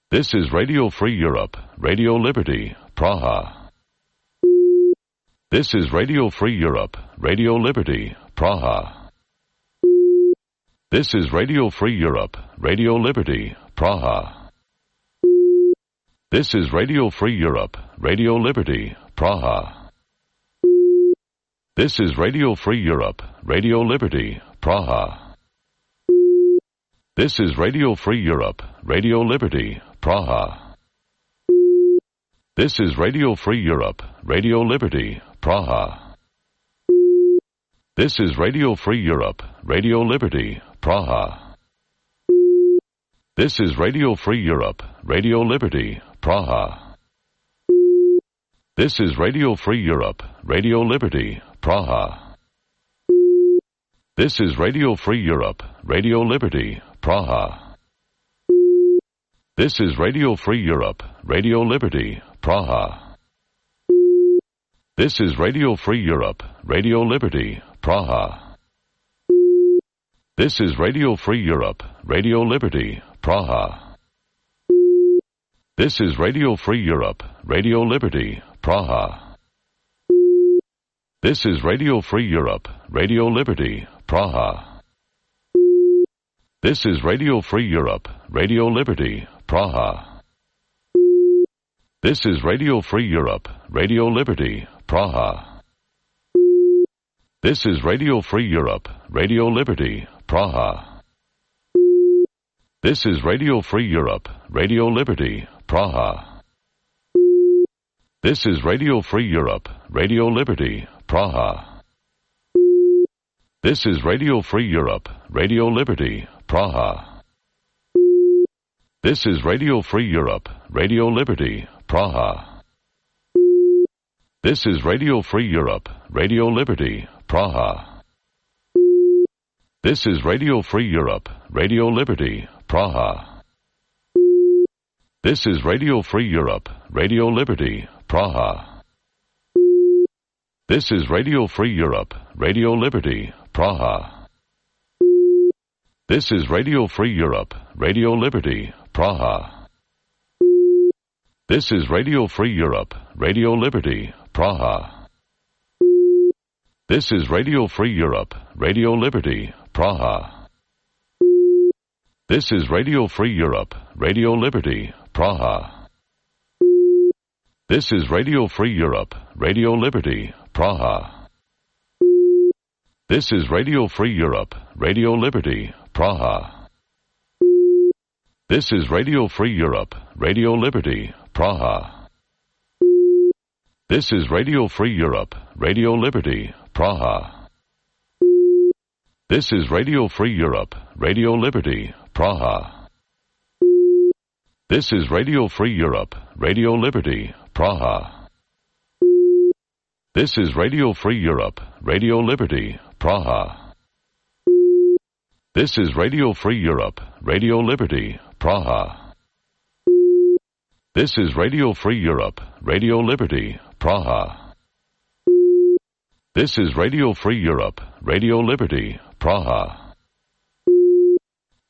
This is Radio Free Europe, Radio Liberty, Praha. This is Radio Free Europe, Radio Liberty, Praha. This is Radio Free Europe, Radio Liberty, Praha. This is Radio Free Europe, Radio Liberty, Praha. This is Radio Free Europe, Radio Liberty, Praha. This is Radio Free Europe, Radio Liberty, Praha. This is Radio Free Europe, Radio Liberty, Praha. This is Radio Free Europe, Radio Liberty, Praha. This is Radio Free Europe, Radio Liberty, Praha. This is Radio Free Europe, Radio Liberty, Praha. This is Radio Free Europe, Radio Liberty, Praha. This is Radio Free Europe, Radio Liberty, Praha. This is Radio Free Europe, Radio Liberty, Praha. This is Radio Free Europe, Radio Liberty, Praha. This is Radio Free Europe, Radio Liberty, Praha. This is Radio Free Europe, Radio Liberty, Praha. This is Radio Free Europe, Radio Liberty, Praha. This is Radio Free Europe, Radio Liberty, Praha. This is Radio Free Europe, Radio Liberty, Praha. This is Radio Free Europe, Radio Liberty, Praha. This is Radio Free Europe, Radio Liberty, Praha. This is Radio Free Europe, Radio Liberty, Praha. This is Radio Free Europe, Radio Liberty, Praha. This is Radio Free Europe, Radio Liberty, Praha. This is Radio Free Europe, Radio Liberty, Praha. This is Radio Free Europe, Radio Liberty, Praha. This is Radio Free Europe, Radio Liberty, Praha. This is Radio Free Europe, Radio Liberty, Praha. This is Radio Free Europe, Radio Liberty, Praha. This is Radio Free Europe, Radio Liberty, Praha. This is Radio Free Europe, Radio Liberty, Praha. This is Radio Free Europe, Radio Liberty, Praha. This is Radio Free Europe, Radio Liberty, Praha. This is Radio Free Europe, Radio Liberty, Praha. This is Radio Free Europe, Radio Liberty, Praha. This is Radio Free Europe, Radio Liberty, Praha. This is Radio Free Europe, Radio Liberty, Praha. This is Radio Free Europe, Radio Liberty, Praha. This is Radio Free Europe, Radio Liberty, Praha. This is Radio Free Europe, Radio Liberty, Praha. This is Radio Free Europe, Radio Liberty, Praha.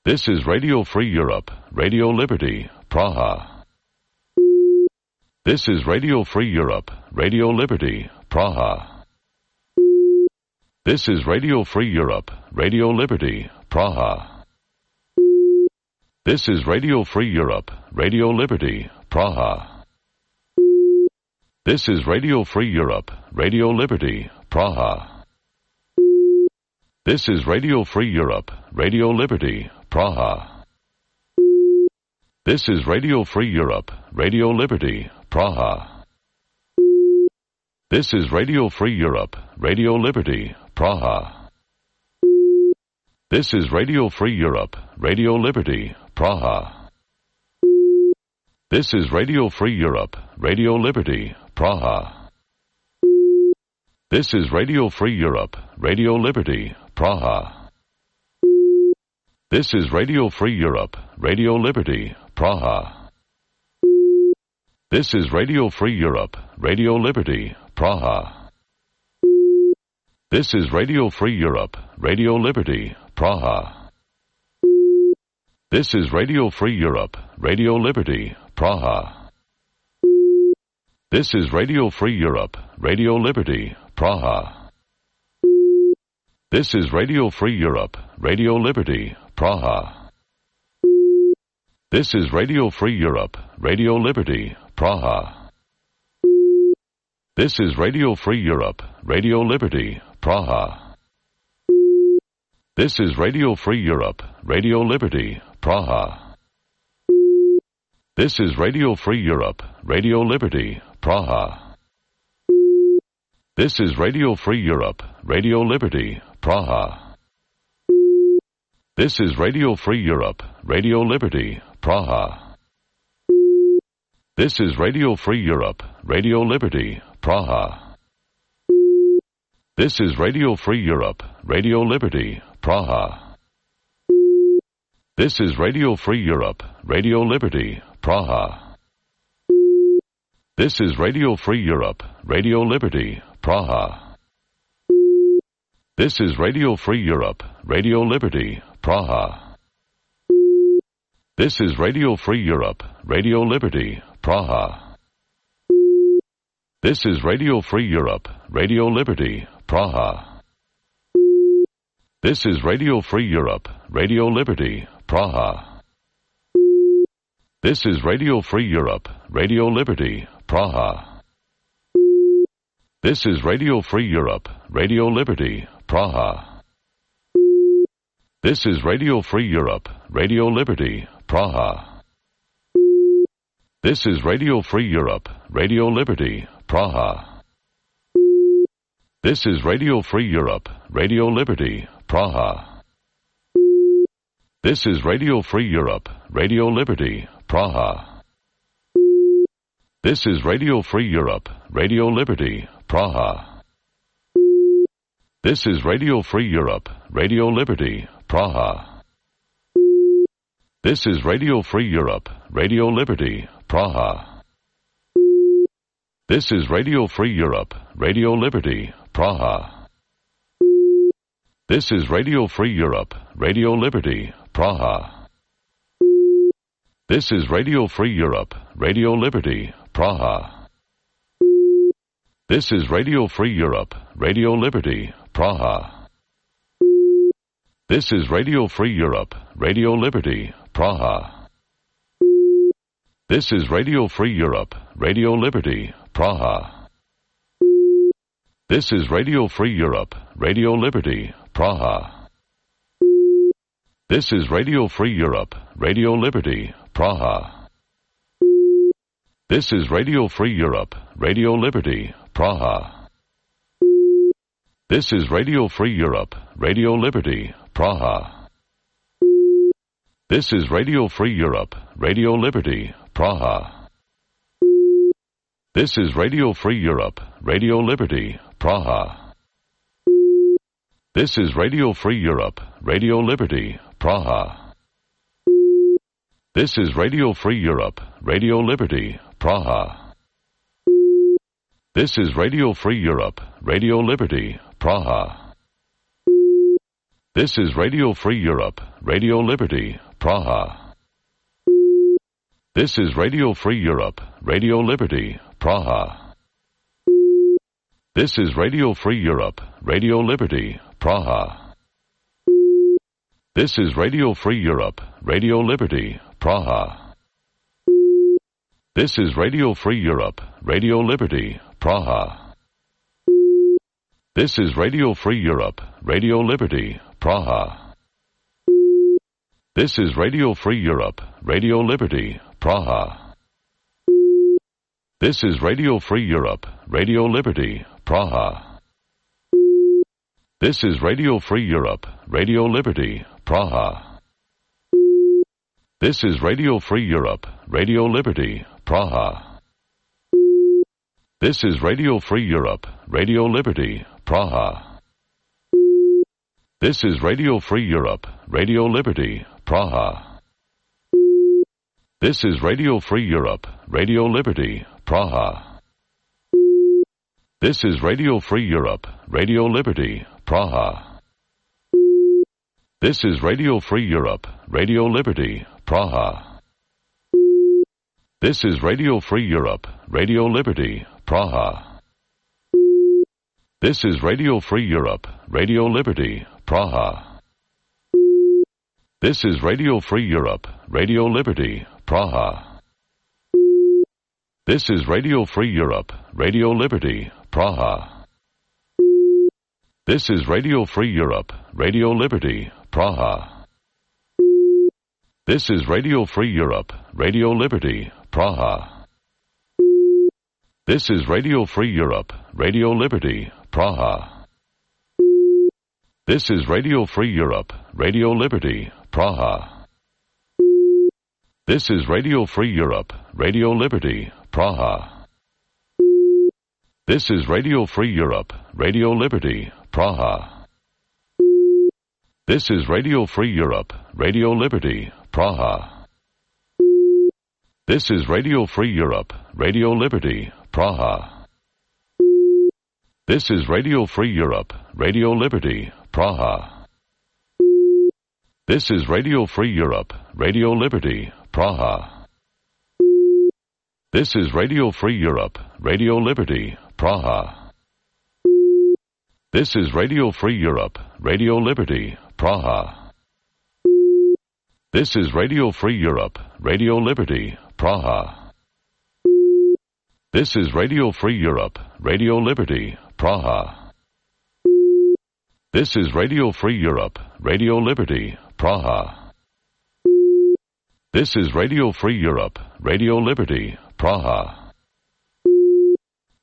This is Radio Free Europe, Radio Liberty, Praha. This is Radio Free Europe, Radio Liberty, Praha. This is Radio Free Europe, Radio Liberty, Praha. This is Radio Free Europe, Radio Liberty, Praha. This is Radio Free Europe, Radio Liberty, Praha. This is Radio Free Europe, Radio Liberty, Praha. This is Radio Free Europe, Radio Liberty, Praha. This is Radio Free Europe, Radio Liberty, Praha. This is Radio Free Europe, Radio Liberty, Praha. This is Radio Free Europe, Radio Liberty, Praha. This is Radio Free Europe, Radio Liberty, Praha. This is Radio Free Europe, Radio Liberty, Praha. This is Radio Free Europe, Radio Liberty, Praha. This is Radio Free Europe, Radio Liberty, Praha. This is Radio Free Europe, Radio Liberty, Praha. This is Radio Free Europe, Radio Liberty, Praha. This is Radio Free Europe, Radio Liberty, Praha. This is Radio Free Europe, Radio Liberty, Praha. This is Radio Free Europe, Radio Liberty, Praha. This is Radio Free Europe, Radio Liberty, Praha. This is Radio Free Europe, Radio Liberty, Praha. This is Radio Free Europe, Radio Liberty, Praha. This is Radio Free Europe, Radio Liberty, Praha. This is Radio Free Europe, Radio Liberty, Praha. This is Radio Free Europe, Radio Liberty, Praha. This is Radio Free Europe, Radio Liberty, Praha. This is Radio Free Europe, Radio Liberty, Praha. This is Radio Free Europe, Radio Liberty, Praha. This is Radio Free Europe, Radio Liberty, Praha. This is Radio Free Europe, Radio Liberty, Praha. This is Radio Free Europe, Radio Liberty, Praha. This is Radio Free Europe, Radio Liberty, Praha. This is Radio Free Europe, Radio Liberty, Praha. This is Radio Free Europe, Radio Liberty, Praha. This is Radio Free Europe, Radio Liberty, Praha. This is Radio Free Europe, Radio Liberty, Praha. This is Radio Free Europe, Radio Liberty, Praha. This is Radio Free Europe, Radio Liberty, Praha. This is Radio Free Europe, Radio Liberty, Praha. This is Radio Free Europe, Radio Liberty, Praha. This is Radio Free Europe, Radio Liberty, Praha. This is Radio Free Europe, Radio Liberty, Praha. This is Radio Free Europe, Radio Liberty, Praha. This is Radio Free Europe, Radio Liberty, Praha. This is Radio Free Europe, Radio Liberty, Praha. This is Radio Free Europe, Radio Liberty, Praha. This is Radio Free Europe, Radio Liberty, Praha. This is Radio Free Europe, Radio Liberty, Praha. This is Radio Free Europe, Radio Liberty, Praha. This is Radio Free Europe, Radio Liberty, Praha. This is Radio Free Europe, Radio Liberty, Praha. This is Radio Free Europe, Radio Liberty, Praha. This is Radio Free Europe, Radio Liberty, Praha. This is Radio Free Europe, Radio Liberty, Praha. This is Radio Free Europe, Radio Liberty, Praha. This is Radio Free Europe, Radio Liberty, Praha. This is Radio Free Europe, Radio Liberty, Praha. This is Radio Free Europe, Radio Liberty, Praha. This is Radio Free Europe, Radio Liberty, Praha. This is Radio Free Europe, Radio Liberty, Praha. This is Radio Free Europe, Radio Liberty, Praha. This is Radio Free Europe, Radio Liberty, Praha. This is Radio Free Europe, Radio Liberty, Praha. This is Radio Free Europe, Radio Liberty, Praha. This is Radio Free Europe, Radio Liberty, Praha. This is Radio Free Europe, Radio Liberty, Praha. This is Radio Free Europe, Radio Liberty, Praha. This is Radio Free Europe, Radio Liberty, Praha. This is Radio Free Europe, Radio Liberty, Praha. This is Radio Free Europe, Radio Liberty, Praha. This is Radio Free Europe, Radio Liberty, Praha. This is Radio Free Europe, Radio Liberty, Praha. This is Radio Free Europe, Radio Liberty, Praha. This is Radio Free Europe, Radio Liberty, Praha. This is Radio Free Europe, Radio Liberty, Praha. This is Radio Free Europe, Radio Liberty, Praha. This is Radio Free Europe, Radio Liberty, Praha. This is Radio Free Europe, Radio Liberty, Praha. This is Radio Free Europe, Radio Liberty, Praha. This is Radio Free Europe, Radio Liberty, Praha. This is Radio Free Europe, Radio Liberty, Praha. This is Radio Free Europe, Radio Liberty, Praha. This is Radio Free Europe, Radio Liberty, Praha. This is Radio Free Europe, Radio Liberty, Praha. This is Radio Free Europe, Radio Liberty, Praha. This is Radio Free Europe, Radio Liberty, Praha. This is Radio Free Europe, Radio Liberty, Praha. This is Radio Free Europe, Radio Liberty, Praha. This is Radio Free Europe, Radio Liberty, Praha. This is Radio Free Europe, Radio Liberty, Praha.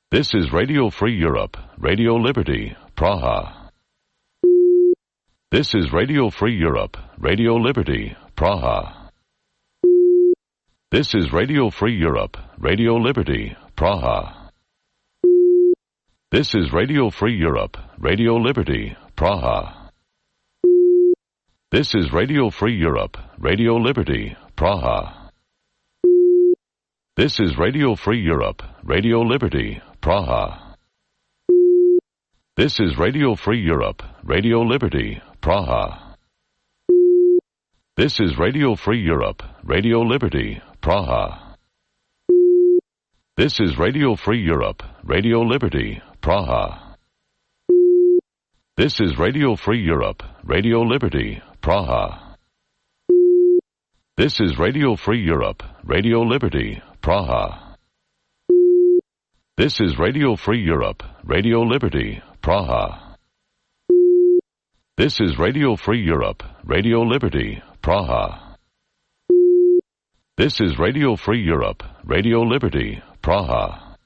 This is Radio Free Europe, Radio Liberty, Praha. This is Radio Free Europe, Radio Liberty, Praha. This is Radio Free Europe, Radio Liberty, Praha. This is Radio Free Europe, Radio Liberty, Praha. This is Radio Free Europe, Radio Liberty, Praha. This is Radio Free Europe, Radio Liberty, Praha. This is Radio Free Europe, Radio Liberty, Praha. This is Radio Free Europe, Radio Liberty, Praha. This is Radio Free Europe, Radio Liberty, Praha. This is Radio Free Europe, Radio Liberty, Praha. This is Radio Free Europe, Radio Liberty, Praha. This is Radio Free Europe, Radio Liberty, Praha. This is Radio Free Europe, Radio Liberty, Praha. This is Radio Free Europe, Radio Liberty, Praha.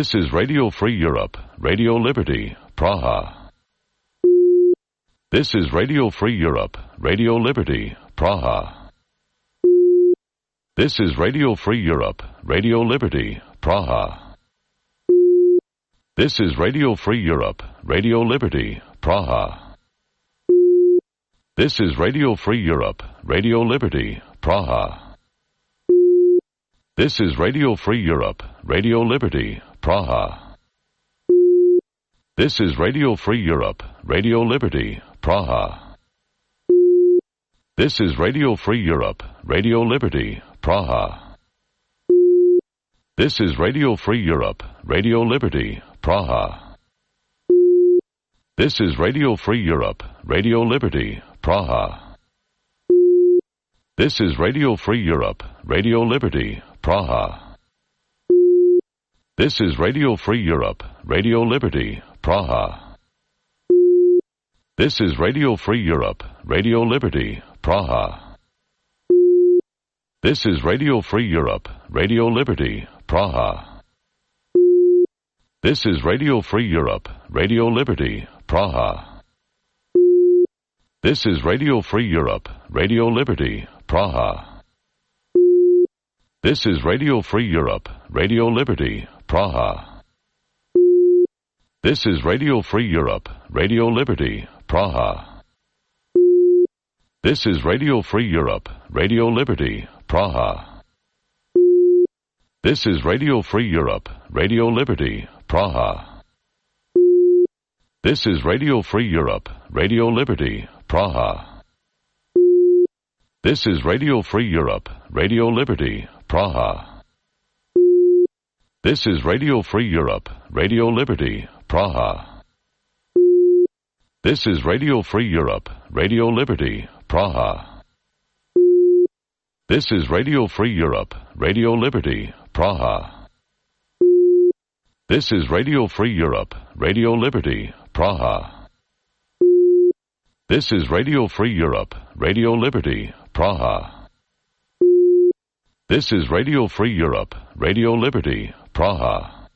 This is Radio Free Europe, Radio Liberty, Praha. This is Radio Free Europe, Radio Liberty, Praha. This is Radio Free Europe, Radio Liberty, Praha. This is Radio Free Europe, Radio Liberty, Praha. This is Radio Free Europe, Radio Liberty, Praha. This is Radio Free Europe, Radio Liberty, Praha. This is Radio Free Europe, Radio Liberty, Praha. This is Radio Free Europe, Radio Liberty, Praha. This is Radio Free Europe, Radio Liberty, Praha. This is Radio Free Europe, Radio Liberty, Praha. This is Radio Free Europe, Radio Liberty, Praha. This is Radio Free Europe, Radio Liberty, Praha. This is Radio Free Europe, Radio Liberty, Praha. This is Radio Free Europe, Radio Liberty, Praha. This is Radio Free Europe, Radio Liberty, Praha. This is Radio Free Europe, Radio Liberty, Praha. This is Radio Free Europe, Radio Liberty, Praha. This is Radio Free Europe, Radio Liberty, Praha. This is Radio Free Europe, Radio Liberty, Praha. This is Radio Free Europe, Radio Liberty, Praha. This is Radio Free Europe, Radio Liberty, Praha. This is Radio Free Europe, Radio Liberty, Praha. This is Radio Free Europe, Radio Liberty, Praha. This is Radio Free Europe, Radio Liberty, Praha. This is Radio Free Europe, Radio Liberty, Praha. This is Radio Free Europe, Radio Liberty, Praha. This is Radio Free Europe, Radio Liberty, Praha. This is Radio Free Europe, Radio Liberty, Praha.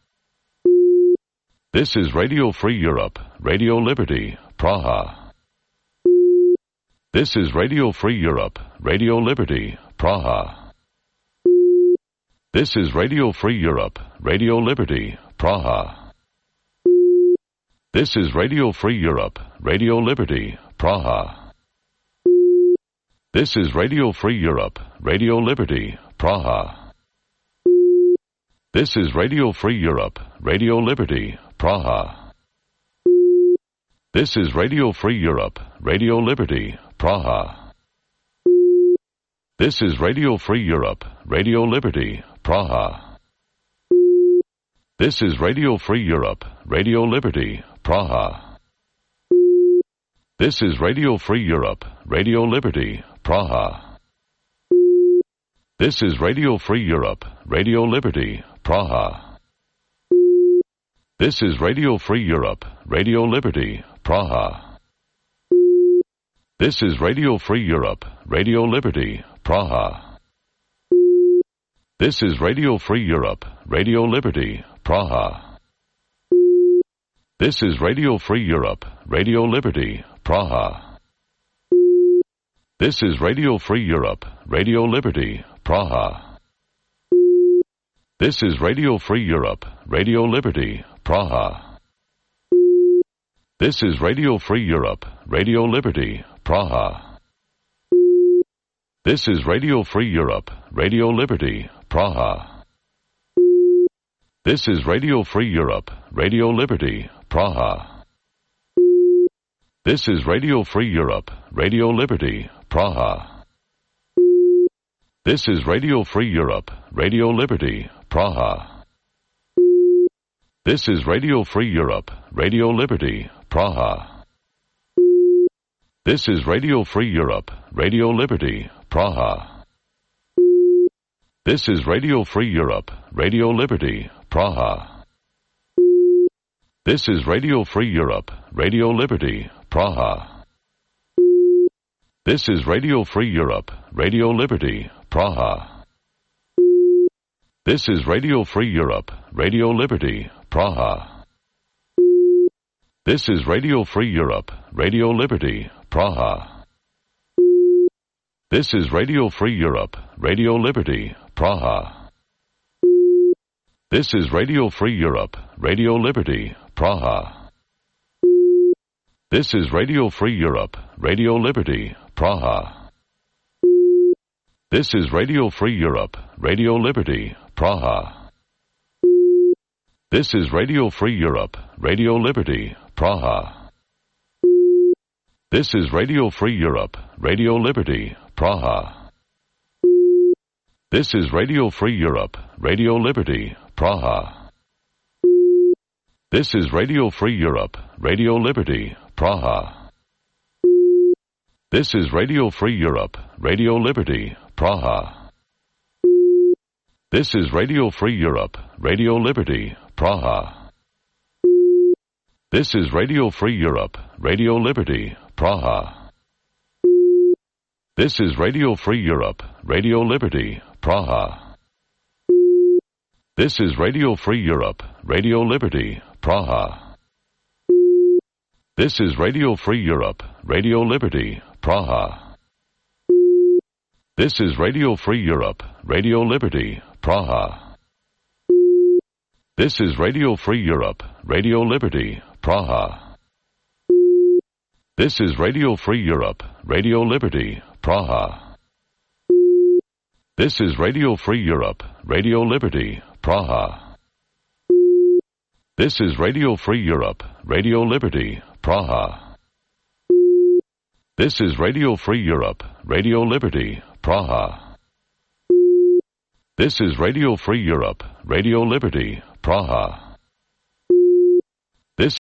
This is Radio Free Europe, Radio Liberty, Praha. This is Radio Free Europe, Radio Liberty, Praha. This is Radio Free Europe, Radio Liberty, Praha. This is Radio Free Europe, Radio Liberty, Praha. This is Radio Free Europe, Radio Liberty, Praha. This is Radio Free Europe, Radio Liberty, Praha. This is Radio Free Europe, Radio Liberty, Praha. This is Radio Free Europe, Radio Liberty, Praha. This is Radio Free Europe, Radio Liberty, Praha. This is Radio Free Europe, Radio Liberty, Praha. This is Radio Free Europe, Radio Liberty, Praha. This is Radio Free Europe, Radio Liberty, Praha. This is Radio Free Europe, Radio Liberty, Praha. This is Radio Free Europe, Radio Liberty, Praha. This is Radio Free Europe, Radio Liberty, Praha. This is Radio Free Europe, Radio Liberty, Praha. This is Radio Free Europe, Radio Liberty, Praha. This is Radio Free Europe, Radio Liberty, Praha. This is Radio Free Europe, Radio Liberty, Praha. This is Radio Free Europe, Radio Liberty, Praha. This is Radio Free Europe, Radio Liberty, Praha. This is Radio Free Europe, Radio Liberty, Praha. This is Radio Free Europe, Radio Liberty, Praha. This is Radio Free Europe, Radio Liberty, Praha. This is Radio Free Europe, Radio Liberty, Praha. This is Radio Free Europe, Radio Liberty, Praha. This is Radio Free Europe, Radio Liberty, Praha. This is Radio Free Europe, Radio Liberty, Praha. This is Radio Free Europe, Radio Liberty, Praha. This is Radio Free Europe, Radio Liberty, Praha. This is Radio Free Europe, Radio Liberty, Praha. This is Radio Free Europe, Radio Liberty, Praha. This is Radio Free Europe, Radio Liberty, Praha. This is Radio Free Europe, Radio Liberty, Praha. This is Radio Free Europe, Radio Liberty, Praha. This is Radio Free Europe, Radio Liberty, Praha. This is Radio Free Europe, Radio Liberty, Praha. This is Radio Free Europe, Radio Liberty, Praha. This is Radio Free Europe, Radio Liberty, Praha. This is Radio Free Europe, Radio Liberty, Praha. This is Radio Free Europe, Radio Liberty, Praha. This is Radio Free Europe, Radio Liberty, Praha. This is Radio Free Europe, Radio Liberty, Praha. This is Radio Free Europe, Radio Liberty, Praha. This is Radio Free Europe, Radio Liberty, Praha. This is Radio Free Europe, Radio Liberty, Praha. This is Radio Free Europe, Radio Liberty, Praha. This is Radio Free Europe, Radio Liberty, Praha. This is Radio Free Europe, Radio Liberty, Praha. This is Radio Free Europe, Radio Liberty, Praha.